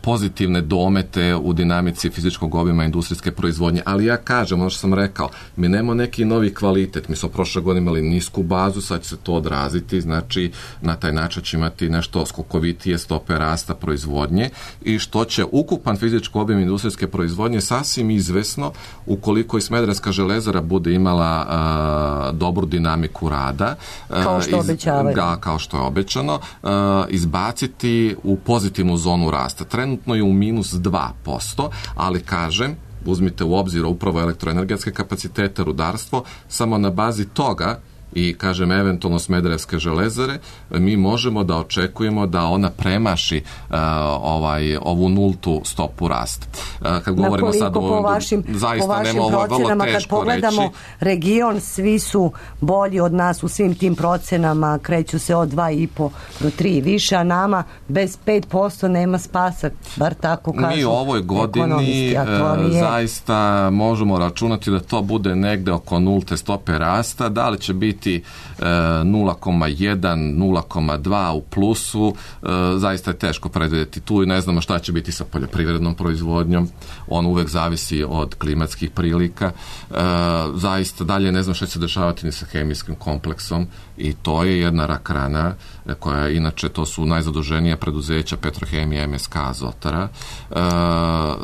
[SPEAKER 8] pozitivne domete u dinamici fizičkog obima industrijske proizvodnje. Ali ja kažem, ono što sam rekao, mi nemamo neki novi kvalitet. Mi smo prošle godine imali nisku bazu, sad će se to odraziti, znači na taj način će imati nešto skokovitije stope rasta proizvodnje i što će ukupan fizički obim industrijske proizvodnje sasvim izvesno, ukoliko i Smederevska železara bude imala a, dobru dinamiku rada,
[SPEAKER 5] kao što obećavaju,
[SPEAKER 8] ga, kao što je obećano, a, izbaciti u pozitivnu zonu rasta. Trenutno je u minus dva posto, ali kažem, uzmite u obzir upravo elektroenergetske kapacitete, rudarstvo, samo na bazi toga i, kažem, eventualno Smederevske železare, mi možemo da očekujemo da ona premaši uh, ovaj, ovu nultu stopu rasta. Uh, kad govorimo sad o
[SPEAKER 5] po vašim,
[SPEAKER 8] zaista
[SPEAKER 5] po vašim
[SPEAKER 8] nema, ovo je vrlo
[SPEAKER 5] procenama,
[SPEAKER 8] teško
[SPEAKER 5] kad pogledamo
[SPEAKER 8] reći.
[SPEAKER 5] region, svi su bolji od nas u svim tim procenama, kreću se od dva i po do tri više, a nama bez pet posto nema spasa, bar tako kažu.
[SPEAKER 8] Mi u ovoj godini uh, zaista možemo računati da to bude negde oko nulte stope rasta. Da li će biti nula zarez jedan, nula zarez dva u plusu, zaista je teško predvidjeti tu i ne znamo šta će biti sa poljoprivrednom proizvodnjom, on uvek zavisi od klimatskih prilika, zaista dalje ne znam šta će se dešavati ni sa hemijskim kompleksom i to je jedna rak rana koja inače to su najzaduženija preduzeća Petrohemija, M S K, Azotara.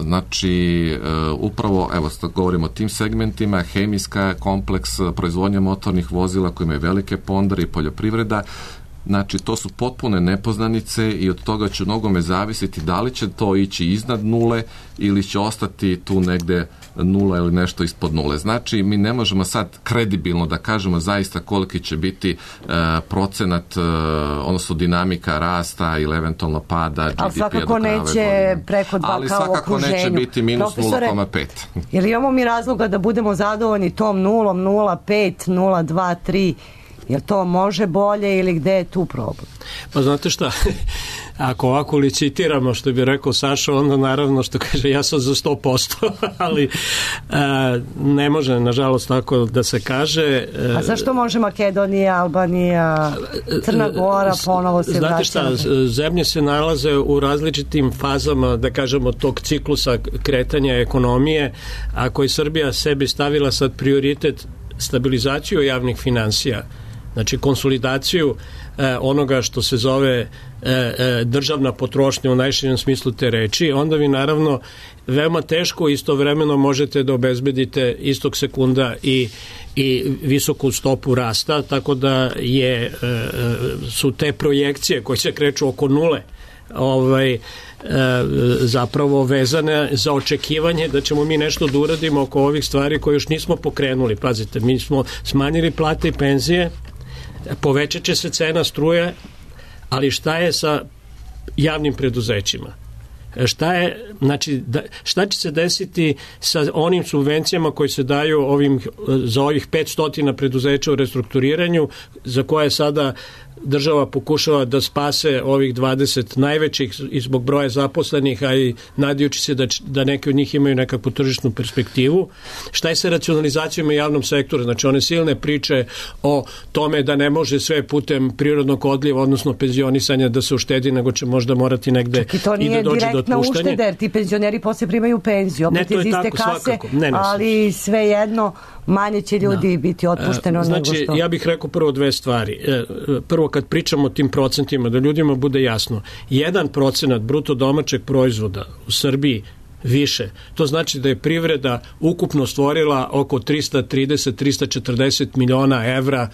[SPEAKER 8] Znači upravo, evo govorimo o tim segmentima, hemijska kompleks, proizvodnja motornih vozila koji imaju velike pondare i poljoprivreda. Znači, to su potpune nepoznanice i od toga će mnogome zavisiti da li će to ići iznad nule ili će ostati tu negde nula ili nešto ispod nule. Znači, mi ne možemo sad kredibilno da kažemo zaista koliki će biti e, procenat, e, odnosno dinamika rasta ili eventualno pada G D P-a do kraja ove godine.
[SPEAKER 5] Ali svakako neće preko dva
[SPEAKER 8] Ali
[SPEAKER 5] kao u okruženju.
[SPEAKER 8] Ali svakako neće biti minus nula zarez pet.
[SPEAKER 5] Jer imamo mi razloga da budemo zadovoljni tom nulom, nula zarez pet, nula zarez dva, tri. Jel to može bolje ili gde je tu problem?
[SPEAKER 7] Pa znate šta, ako ovako licitiramo, što bi rekao Saša, onda naravno što kaže ja sam za sto posto, ali a, ne može nažalost tako da se kaže.
[SPEAKER 5] A zašto može Makedonija, Albanija, Crna Gora ponovo se vraća?
[SPEAKER 7] Znate šta, zemlje se nalaze u različitim fazama, da kažemo, tog ciklusa kretanja ekonomije. Ako je Srbija sebi stavila sad prioritet stabilizaciju javnih finansija, znači konsolidaciju e, onoga što se zove e, e, državna potrošnja u najširem smislu te reči, onda vi naravno veoma teško istovremeno možete da obezbedite istog sekunda i, i visoku stopu rasta, tako da je, e, su te projekcije koje se kreću oko nule ovaj, zapravo vezane za očekivanje da ćemo mi nešto da uradimo oko ovih stvari koje još nismo pokrenuli. Pazite, mi smo smanjili plate i penzije, povećat će se cena struje, ali šta je sa javnim preduzećima? Šta je, znači, da, šta će se desiti sa onim subvencijama koji se daju ovim, za ovih petsto preduzeća u restrukturiranju, za koje sada država pokušava da spase ovih dvadeset najvećih i zbog broja zaposlenih, a i nadajući se da, da neki od njih imaju nekakvu tržišnu perspektivu. Šta je sa racionalizacijom u javnom sektoru? Znači, one silne priče o tome da ne može sve putem prirodnog odliva, odnosno penzionisanja da se uštedi, nego će možda morati negde i,
[SPEAKER 5] to
[SPEAKER 7] i da dođe do otpuštanja.
[SPEAKER 5] direktna ušteda, jer ti penzioneri posle primaju penziju, opet iz iste kase, ne, ne, ali svejedno manje će ljudi da. biti otpušteno
[SPEAKER 7] znači,
[SPEAKER 5] nego što.
[SPEAKER 7] Ja bih rekao prvo dve stvari. Prvo, kad pričamo o tim procentima, da ljudima bude jasno, jedan procenat bruto domaćeg proizvoda u Srbiji više, to znači da je privreda ukupno stvorila oko trista trideset do trista četrdeset miliona evra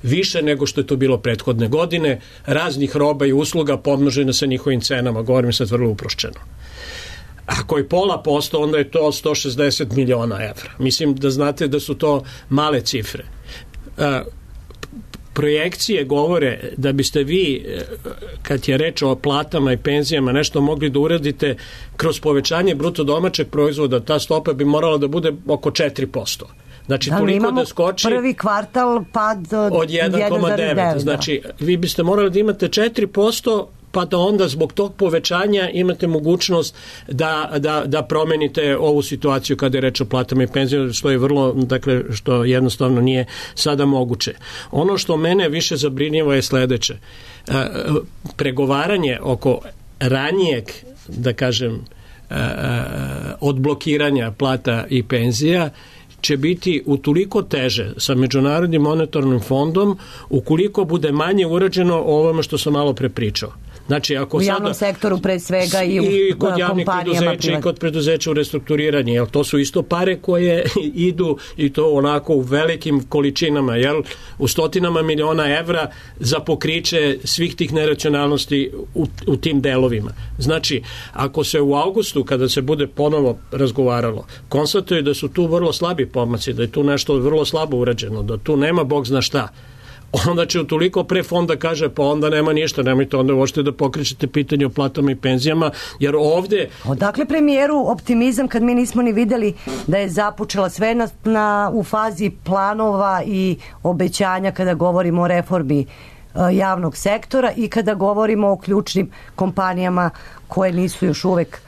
[SPEAKER 7] više nego što je to bilo prethodne godine, raznih roba i usluga pomnožene sa njihovim cenama, govorim sad vrlo uprošćeno. Ako je pola posto, onda je to sto šezdeset miliona evra. Mislim da znate da su to male cifre. E, projekcije govore da biste vi, kad je reč o platama i penzijama, nešto mogli da uradite kroz povećanje bruto domaćeg proizvoda, ta stopa bi morala da bude oko četiri posto. Znači,
[SPEAKER 5] da,
[SPEAKER 7] toliko da skoči
[SPEAKER 5] prvi kvartal pad od,
[SPEAKER 7] od jedan zarez devet. Znači, vi biste morali da imate četiri posto, pa da onda zbog tog povećanja imate mogućnost da, da, da promenite ovu situaciju kada je reč o platama i penzijama, što je vrlo, dakle, što jednostavno nije sada moguće. Ono što mene više zabrinjava je sledeće. E, pregovaranje oko ranijeg, da kažem, e, odblokiranja plata i penzija će biti utoliko teže sa Međunarodnim monetarnim fondom ukoliko bude manje urađeno o ovome što sam malo pre pričao. Znači, ako
[SPEAKER 5] u javnom
[SPEAKER 7] sada,
[SPEAKER 5] sektoru pre svega i u
[SPEAKER 7] i kod javnih
[SPEAKER 5] kompanijama
[SPEAKER 7] preduzeća i kod preduzeća u restrukturiranju, jel to su isto pare koje idu i to onako u velikim količinama, jel, u stotinama miliona evra za pokriće svih tih neracionalnosti u, u tim delovima. Znači, ako se u avgustu, kada se bude ponovo razgovaralo, konstatuje da su tu vrlo slabi pomaci, da je tu nešto vrlo slabo urađeno, da tu nema bog zna šta, onda će utoliko pre fonda kaže pa onda nema ništa, nemojte onda uopšte da pokrećete pitanje o platama i penzijama, jer ovde...
[SPEAKER 5] Odakle premijeru optimizam kad mi nismo ni videli da je započela sve na, na, u fazi planova i obećanja kada govorimo o reformi javnog sektora i kada govorimo o ključnim kompanijama koje nisu još uvek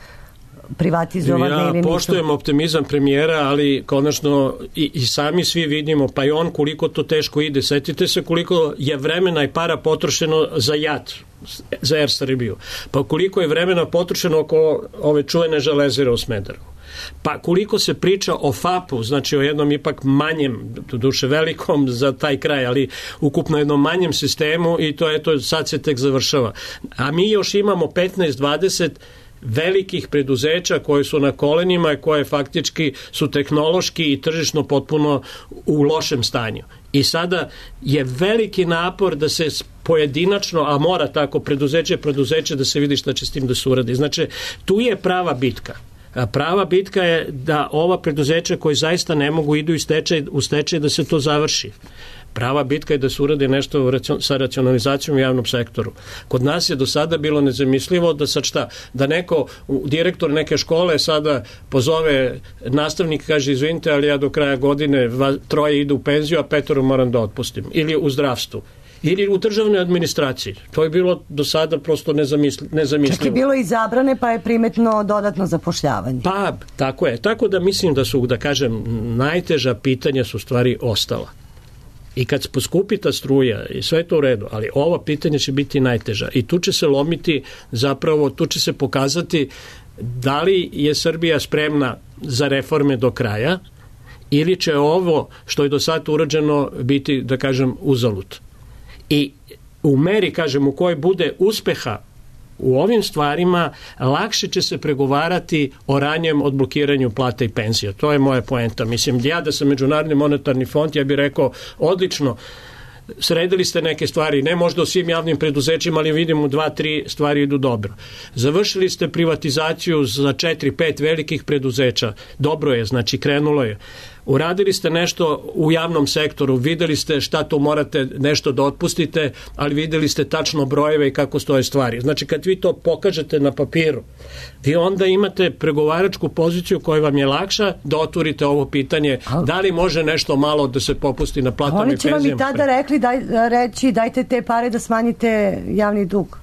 [SPEAKER 5] privatizovane
[SPEAKER 7] ja
[SPEAKER 5] ili nisu.
[SPEAKER 7] Poštujem optimizam premijera, ali konačno i, i sami svi vidimo, pa i on koliko to teško ide. Setite se koliko je vremena i para potrošeno za J A T, za Er Srbiju. Pa koliko je vremena potrošeno oko ove čuvene železare u Smederevu. Pa koliko se priča o F A P-u, znači o jednom ipak manjem, duše velikom za taj kraj, ali ukupno jednom manjem sistemu i to eto sad se tek završava. A mi još imamo petnaest dvadeset velikih preduzeća koje su na kolenima i koje faktički su tehnološki i tržišno potpuno u lošem stanju. I sada je veliki napor da se pojedinačno, a mora tako preduzeće preduzeće da se vidi šta će s tim da se uradi. Znači, tu je prava bitka. A prava bitka je da ova preduzeća koji zaista ne mogu idu u stečaj, u stečaj da se to završi. Prava bitka je da se uradi nešto sa racionalizacijom u javnom sektoru. Kod nas je do sada bilo nezamislivo da sad šta, da neko, direktor neke škole sada pozove nastavnik, kaže izvinite, ali ja do kraja godine troje idu u penziju, a petoro moram da otpustim. Ili u zdravstvu. Ili u državnoj administraciji. To je bilo do sada prosto nezamisli, nezamislivo.
[SPEAKER 5] Čak je bilo i zabrane, pa je primetno dodatno zapošljavanje.
[SPEAKER 7] Pa, tako je. Tako da mislim da su, da kažem, najteža pitanja su stvari ostala. I kad poskupi ta struja i sve je to u redu, ali ova pitanja će biti najteža. I tu će se lomiti zapravo, tu će se pokazati da li je Srbija spremna za reforme do kraja ili će ovo što je do sada urađeno biti, da kažem, uzalud. I u meri, kažem, u kojoj bude uspeha u ovim stvarima, lakše će se pregovarati o ranjem odblokiranju plata i penzija. To je moja poenta. Mislim, ja da sam Međunarodni monetarni fond, ja bih rekao, odlično, sredili ste neke stvari, ne možda u svim javnim preduzećima, ali vidimo dva, tri stvari idu dobro. Završili ste privatizaciju za četiri, pet velikih preduzeća. Dobro je, znači krenulo je. Uradili ste nešto u javnom sektoru, videli ste šta to morate nešto da otpustite, ali videli ste tačno brojeve i kako stoje stvari. Znači kad vi to pokažete na papiru, vi onda imate pregovaračku poziciju koja vam je lakša da otvorite ovo pitanje, da li može nešto malo da se popusti na platama i penzijama.
[SPEAKER 5] Oni će vam i tada rekli, daj, reći dajte te pare da smanjite javni dug.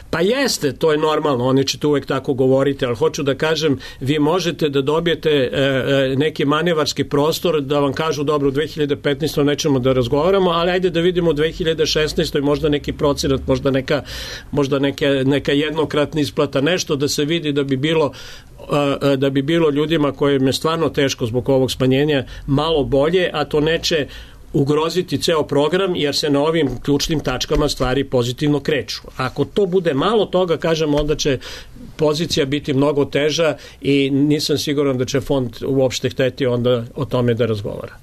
[SPEAKER 7] Pa jeste, to je normalno, oni će to uvek tako govoriti, ali hoću da kažem, vi možete da dobijete e, e, neki manevarski prostor da vam kažu, dobro, u dve hiljade petnaestoj nećemo da razgovaramo, ali ajde da vidimo u dve hiljade šesnaestoj možda neki procenat, možda neka, možda neka, neka jednokratna isplata, nešto da se vidi da bi bilo da bi bilo ljudima kojim je stvarno teško zbog ovog smanjenja malo bolje, a to neće ugroziti ceo program, jer se na ovim ključnim tačkama stvari pozitivno kreću. Ako to bude malo toga, kažem, onda će pozicija biti mnogo teža i nisam siguran da će fond uopšte hteti onda o tome da razgovara.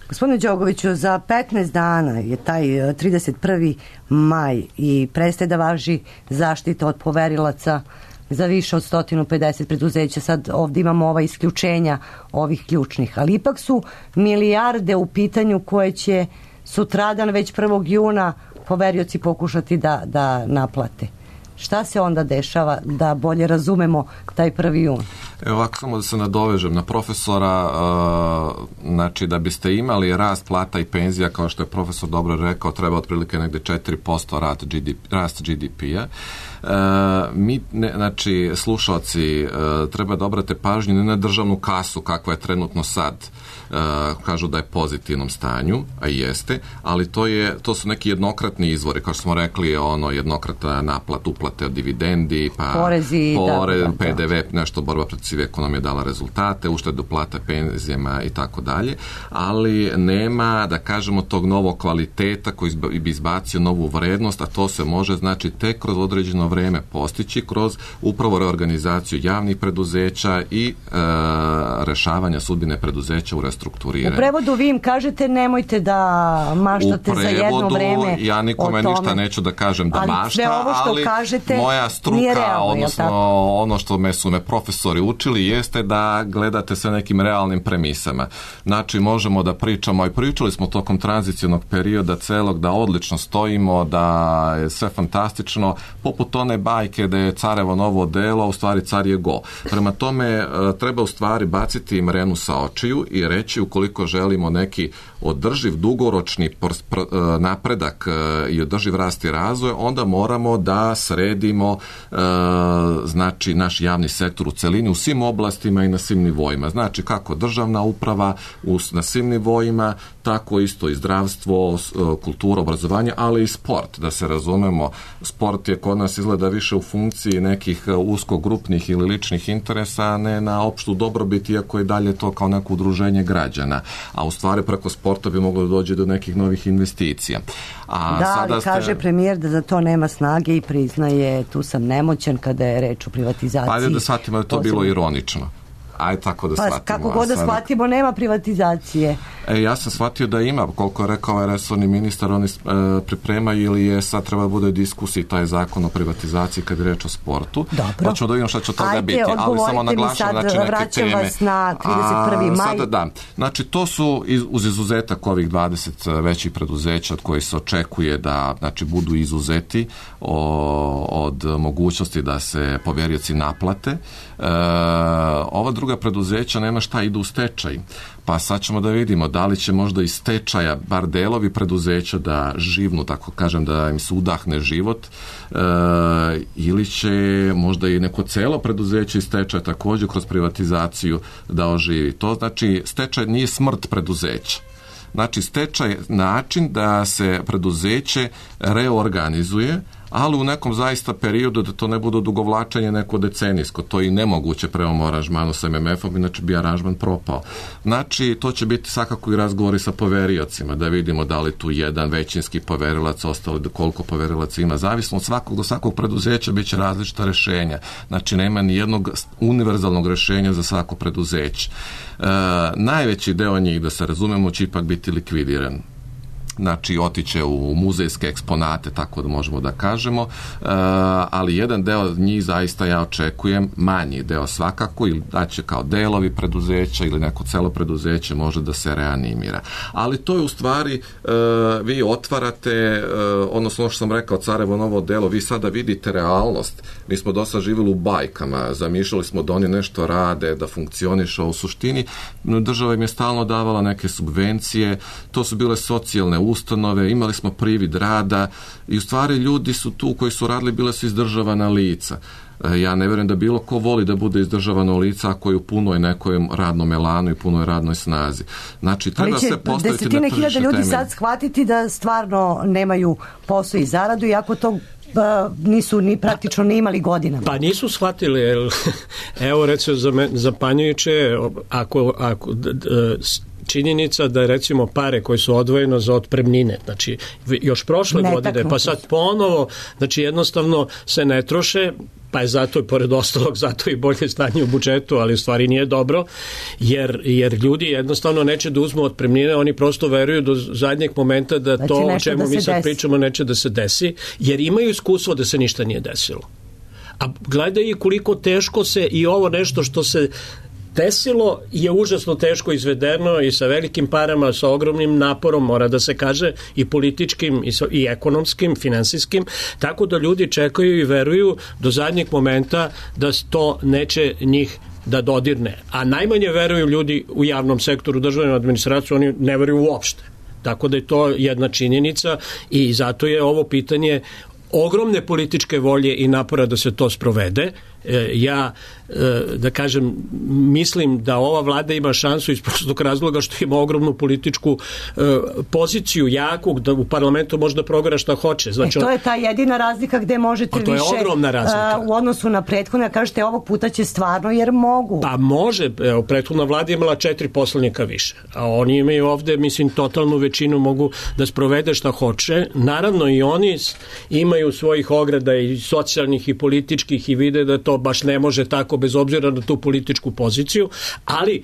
[SPEAKER 5] Gospodine Đogoviću, za petnaest dana je taj trideset prvi maj i prestaje da važi zaštita od poverilaca za više od sto pedeset preduzeća. Sad ovdje imamo ova isključenja ovih ključnih, ali ipak su milijarde u pitanju koje će sutradan već prvog juna poverioci pokušati da, da naplate. Šta se onda dešava da bolje razumemo taj prvi jun?
[SPEAKER 8] Evo ovako, samo da se nadovežem na profesora, uh, znači da biste imali rast plata i penzija, kao što je profesor dobro rekao, treba otprilike negde četiri posto rast, G D P, rast G D P-a. Uh, mi, ne, znači, slušalci, uh, treba da obrate pažnju ne na državnu kasu, kakva je trenutno sad, uh, kažu da je pozitivnom stanju, a i jeste, ali to, je, to su neki jednokratni izvori, kao što smo rekli, ono jednokratna naplata, isplate od dividendi, pa
[SPEAKER 5] porezi,
[SPEAKER 8] pore,
[SPEAKER 5] da, da,
[SPEAKER 8] P D V, nešto borba protiv sive ekonomije dala rezultate, uštedu plata penzijama i tako dalje, ali nema, da kažemo, tog novog kvaliteta koji bi izbacio novu vrednost, a to se može, znači, tek kroz određeno vreme postići kroz upravo reorganizaciju javnih preduzeća i e, rešavanja sudbine preduzeća u restrukturiranju.
[SPEAKER 5] U prevodu vi im kažete nemojte da maštate za jedno vreme.
[SPEAKER 8] Ja nikome ništa neću da kažem da
[SPEAKER 5] ali
[SPEAKER 8] mašta, ali
[SPEAKER 5] kažete,
[SPEAKER 8] moja struka, realno, odnosno ono što me su me profesori učili jeste da gledate sa nekim realnim premisama. Znači, možemo da pričamo, i pričali smo tokom tranzicionog perioda celog, da odlično stojimo, da je sve fantastično, poput one bajke da je carevo novo delo, a u stvari car je go. Prema tome, treba u stvari baciti mrenu sa očiju i reći, ukoliko želimo neki održiv, dugoročni napredak i održiv rast i razvoj, onda moramo da sredimo e, znači naš javni sektor u celini u svim oblastima i na svim nivoima. Znači kako državna uprava u, na svim nivoima, tako isto i zdravstvo, kultura, obrazovanje, ali i sport, da se razumemo. Sport je kod nas izgleda više u funkciji nekih uskogrupnih ili ličnih interesa, a ne na opštu dobrobit, iako je dalje to kao neko udruženje građana. A u stvari preko sporta bi moglo da dođe do nekih novih investicija. A
[SPEAKER 5] da,
[SPEAKER 8] sada
[SPEAKER 5] ali kaže
[SPEAKER 8] ste...
[SPEAKER 5] premijer da za to nema snage i priznaje tu sam nemoćan kada je reč o privatizaciji.
[SPEAKER 8] Pa ajde da shvatimo da je to bilo ironično. Ajde tako da
[SPEAKER 5] pa,
[SPEAKER 8] shvatimo.
[SPEAKER 5] Kako god da sada... shvatimo, nema privatizacije.
[SPEAKER 8] E, ja sam shvatio da ima, koliko je rekao ovaj resorni ministar, oni e, pripremaju ili je sad treba da bude diskusiji taj zakon o privatizaciji kad je reč o sportu.
[SPEAKER 5] Dobro.
[SPEAKER 8] Pa ćemo da vidimo šta će od toga
[SPEAKER 5] Ajde,
[SPEAKER 8] biti. Ali samo naglašam, znači, neke
[SPEAKER 5] vraćam
[SPEAKER 8] teme.
[SPEAKER 5] Vas na trideset prvi maj.
[SPEAKER 8] Sada da. Znači, to su iz, uz izuzetak ovih dvadeset većih preduzeća od kojih se očekuje da, znači, budu izuzeti o, od mogućnosti da se poverioci naplate. E, ova druga preduzeća nema šta, idu u stečaj. Pa sad ćemo da vidimo da li će možda iz stečaja bar delovi preduzeća da živnu, tako kažem, da im se udahne život, e, ili će možda i neko celo preduzeće iz stečaja također kroz privatizaciju da oživi. To znači, stečaj nije smrt preduzeća. Znači, stečaj je način da se preduzeće reorganizuje, ali u nekom zaista periodu da to ne bude odugovlačenje neko decenijsko. To je i nemoguće prema aranžmanu sa em em efom, inače bi aranžman propao. Znači, to će biti svakako i razgovori sa poveriocima, da vidimo da li tu jedan većinski poverilac, ostalo koliko poverilaca ima. Zavisno od svakog do svakog preduzeća bit će različita rešenja. Znači, nema ni jednog univerzalnog rešenja za svako preduzeće. E, najveći deo njih, da se razumemo, će ipak biti likvidiran. Znači, otiće u muzejske eksponate, tako da možemo da kažemo, e, ali jedan deo njih zaista ja očekujem, manji deo svakako, ili da će kao delovi preduzeća ili neko celo preduzeće može da se reanimira. Ali to je u stvari, e, vi otvarate, e, odnosno ono što sam rekao, carevo novo delo, vi sada vidite realnost. Mi smo dosta živjeli u bajkama, zamišljali smo da oni nešto rade, da funkcioniše, u suštini država im je stalno davala neke subvencije, to su bile socijalne ustanove, imali smo privid rada i u stvari ljudi su tu koji su radili, bile su izdržavana lica. Ja ne vjerujem da bilo ko voli da bude izdržavano lica ako je u punoj nekoj radnom elanu i punoj radnoj snazi. Znači, treba se postaviti na tržište temelje.
[SPEAKER 5] Desetine hiljada ljudi sad shvatiti da stvarno nemaju posao i zaradu, iako to pa, nisu ni praktično ni imali godinama.
[SPEAKER 7] Pa nisu shvatili, evo recimo zapanjujuće, ako, ako d, d, činjenica da je recimo pare koje su odvojeno za otpremnine, znači još prošle Netaknuti. godine, pa sad ponovo, znači jednostavno se ne troše, pa je zato i pored ostalog zato i bolje stanje u budžetu, ali u stvari nije dobro, jer, jer ljudi jednostavno neće da uzmu otpremnine, oni prosto veruju do zadnjeg momenta da znači to o čemu da mi sad desi. pričamo neće da se desi, jer imaju iskustvo da se ništa nije desilo. A gledaj koliko teško se i ovo nešto što se desilo je užasno teško izvedeno i sa velikim parama, sa ogromnim naporom, mora da se kaže, i političkim i, so, i ekonomskim, finansijskim, tako da ljudi čekaju i veruju do zadnjeg momenta da to neće njih da dodirne. A najmanje veruju ljudi u javnom sektoru, državnom administraciju, oni ne veruju uopšte. Tako da je to jedna činjenica i zato je ovo pitanje ogromne političke volje i napora da se to sprovede. e, ja da kažem, mislim da ova vlada ima šansu iz prostog razloga što ima ogromnu političku e, poziciju jakog, da u parlamentu može da progara šta hoće. Znači,
[SPEAKER 5] e, to je ta jedina razlika gde možete
[SPEAKER 7] to je
[SPEAKER 5] više
[SPEAKER 7] ogromna razlika.
[SPEAKER 5] Uh, u odnosu na prethodne, kažete ovog puta će stvarno jer mogu.
[SPEAKER 7] Pa može, evo, prethodna vlada imala četiri poslanika više, a oni imaju ovde, mislim, totalnu većinu, mogu da sprovede šta hoće. Naravno i oni imaju svojih ograda i socijalnih i političkih i vide da to baš ne može tako bez obzira na tu političku poziciju, ali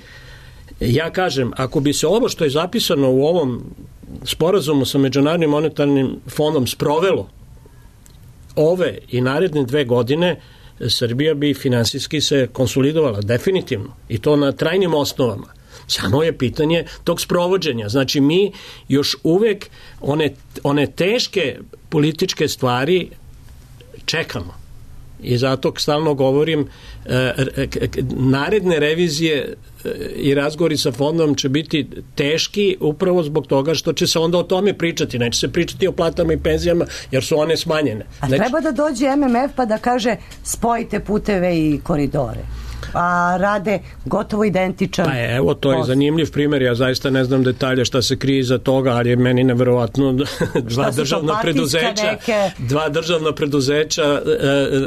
[SPEAKER 7] ja kažem, ako bi se ovo što je zapisano u ovom sporazumu sa Međunarodnim monetarnim fondom sprovelo ove i naredne dve godine, Srbija bi finansijski se konsolidovala, definitivno, i to na trajnim osnovama. Samo je pitanje tog sprovođenja. Znači, mi još uvek one, one teške političke stvari čekamo. I zato stalno govorim, naredne revizije i razgovori sa fondom će biti teški upravo zbog toga što će se onda o tome pričati. Neće se pričati o platama i penzijama jer su one smanjene.
[SPEAKER 5] A
[SPEAKER 7] Neće...
[SPEAKER 5] treba da dođe M M F pa da kaže spojite puteve i koridore. A rade gotovo identičan.
[SPEAKER 7] Pa je, evo, to je zanimljiv primjer, ja zaista ne znam detalje šta se krije iza toga, ali je meni neverovatno dva državna preduzeća neke... dva državna preduzeća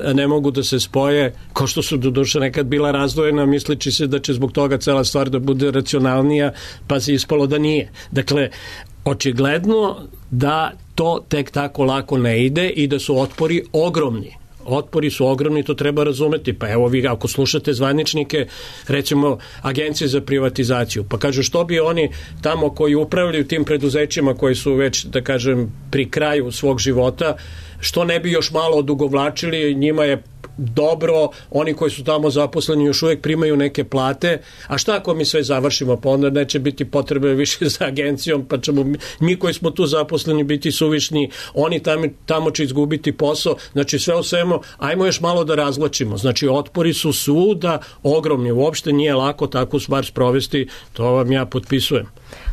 [SPEAKER 7] e, ne mogu da se spoje, ko što su doduše nekad bila razdvojena, mislići se da će zbog toga cela stvar da bude racionalnija, pa se ispalo da nije. Dakle, očigledno da to tek tako lako ne ide i da su otpori ogromni. Otpori su ogromni, to treba razumeti. Pa evo vi, ako slušate zvaničnike, recimo agencije za privatizaciju, pa kažu što bi oni tamo koji upravljaju tim preduzećima koji su već, da kažem, pri kraju svog života, što ne bi još malo odugovlačili, njima je dobro, oni koji su tamo zaposleni još uvijek primaju neke plate, a šta ako mi sve završimo, pa onda neće biti potrebe više za agencijom, pa ćemo mi, mi koji smo tu zaposleni biti suvišni, oni tamo, tamo će izgubiti posao, znači sve o svemu, ajmo još malo da razvlačimo, znači otpori su svuda ogromni, uopšte nije lako takvu stvar sprovesti, to vam ja potpisujem.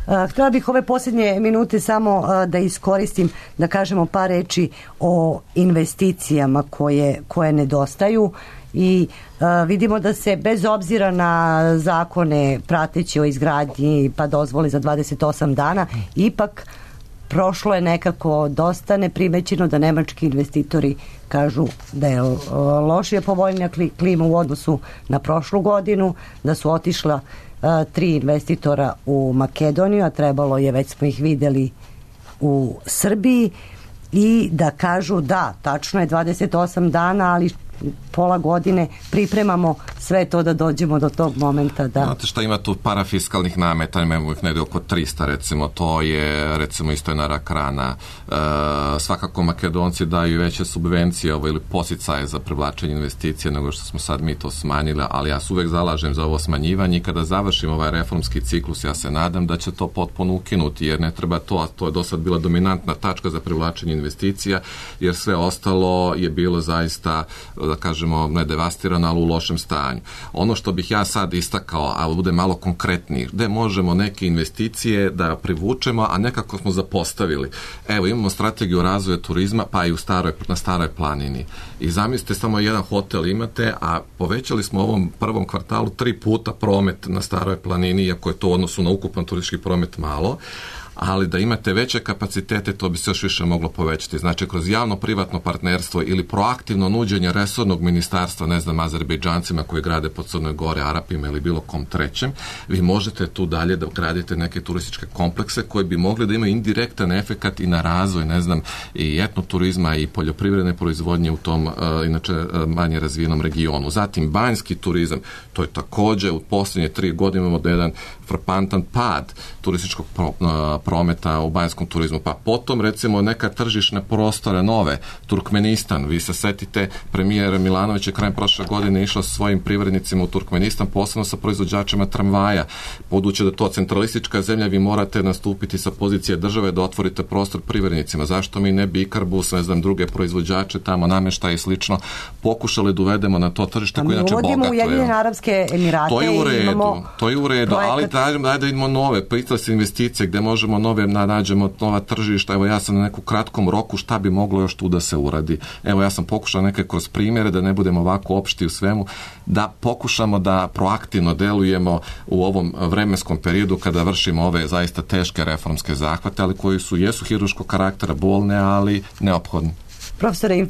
[SPEAKER 5] Uh, htjela bih ove posljednje minute samo uh, da iskoristim da kažemo par reči o investicijama koje, koje nedostaju i uh, vidimo da se bez obzira na zakone prateći o izgradnji pa dozvoli za dvadeset osam dana, ipak prošlo je nekako dosta neprimećeno da nemački investitori kažu da je uh, lošije povoljnija klima u odnosu na prošlu godinu, da su otišla tri investitora u Makedoniju, a trebalo je, već smo ih videli u Srbiji, i da kažu da, tačno je dvadeset osam dana, ali pola godine pripremamo sve to da dođemo do tog momenta. Da...
[SPEAKER 8] Znate šta, ima tu parafiskalnih nameta, imamo ih negdje oko trista, recimo, to je recimo isto jedna rak rana. E, svakako Makedonci daju veće subvencije ovo, ili posicaje za privlačenje investicije nego što smo sad mi to smanjili, ali ja se uvek zalažem za ovo smanjivanje i kada završim ovaj reformski ciklus, ja se nadam da će to potpuno ukinuti, jer ne treba to, a to je do sad bila dominantna tačka za privlačenje investicija, jer sve ostalo je bilo zaista, da kažemo, ne devastirano, ali u lošem stanju. Ono što bih ja sad istakao, a bude malo konkretniji, gde možemo neke investicije da privučemo, a nekako smo zapostavili. Evo, imamo strategiju razvoja turizma, pa i u staroj, na Staroj planini. I zamislite, samo jedan hotel imate, a povećali smo u ovom prvom kvartalu tri puta promet na Staroj planini, iako je to u odnosu na ukupan turistički promet malo, ali da imate veće kapacitete, to bi se još više moglo povećati. Znači, kroz javno-privatno partnerstvo ili proaktivno nuđenje resornog ministarstva, ne znam, Azerbejdžancima koji grade po Crnoj Gore, Arapima ili bilo kom trećem, vi možete tu dalje da gradite neke turističke komplekse koji bi mogli da imaju indirektan efekat i na razvoj, ne znam, i etnoturizma i poljoprivredne proizvodnje u tom, uh, inače, uh, manje razvijenom regionu. Zatim, banjski turizam, to je takođe u posljednje tri godine imamo da jedan frapantan pad turističkog pro, uh, prometa u banjskom turizmu. Pa potom, recimo, neka tržišne prostore nove, Turkmenistan, vi se setite, premijer Milanović je krajem prošle godine išao sa svojim privrednicima u Turkmenistan, posebno sa proizvođačima tramvaja. Budući da to centralistička zemlja, vi morate nastupiti sa pozicije države da otvorite prostor privrednicima. Zašto mi ne bi Ikarbus, ne znam, druge proizvođače tamo, namještaje i slično, pokušali da uvedemo na to tržište koje inače bogato je.
[SPEAKER 5] Mi uvodimo Ujedinjene Arapske Emirate.
[SPEAKER 8] To je u redu,
[SPEAKER 5] imamo
[SPEAKER 8] to je u redu, projekat... ali daj, daj da idemo nove, pritle se investicije gde možemo tražimo nove, nađemo nova tržišta, evo ja sam na neku kratkom roku šta bi moglo još tu da se uradi. Evo ja sam pokušao neke kroz primjere, da ne budemo ovako opšti u svemu, da pokušamo da proaktivno delujemo u ovom vremenskom periodu kada vršimo ove zaista teške reformske zahvate, ali koji su, jesu hirurškog karaktera, bolne, ali neophodni.
[SPEAKER 5] Profesore,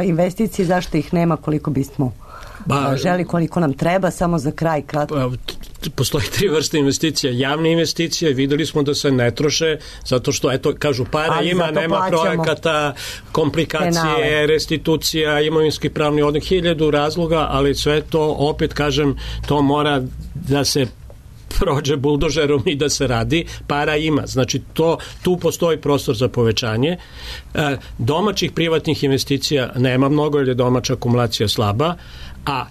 [SPEAKER 5] investicije, zašto ih nema koliko bismo ba, želi, koliko nam treba, samo za kraj kratko?
[SPEAKER 7] Postoji tri vrste investicija. Javne investicije, videli smo da se ne troše, zato što, eto, kažu, para ali ima, nema projekata, komplikacije, penale, restitucija, imovinski pravni odnik, hiljadu razloga, ali sve to, opet kažem, to mora da se prođe buldožerom i da se radi, para ima. Znači, to, tu postoji prostor za povećanje. E, domaćih privatnih investicija nema mnogo, jer je domaća akumulacija slaba, a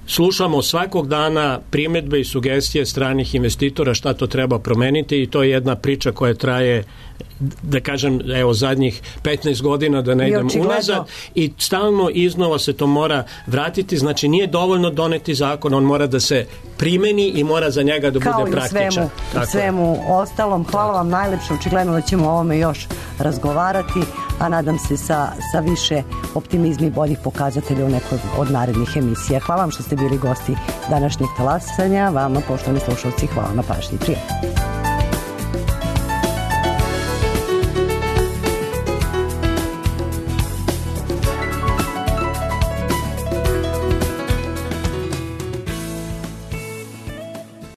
[SPEAKER 7] slušamo svakog dana primjedbe i sugestije stranih investitora šta to treba promeniti i to je jedna priča koja traje, da kažem, evo zadnjih petnaest godina, da ne idem unazad, i stalno iznova se to mora vratiti. Znači nije dovoljno doneti zakon, on mora da se primeni i mora za njega da bude praktičan.
[SPEAKER 5] Kao i u svemu, svemu ostalom. Hvala vam najlepše, očigledno da ćemo o ovome još razgovarati, a nadam se sa, sa više optimizma i boljih pokazatelja u nekoj od narednih emisija. Hvala vam što ste bili gosti današnjeg talasanja. Vama, poštovani slušalci, hvala na pažnji. Prijatno.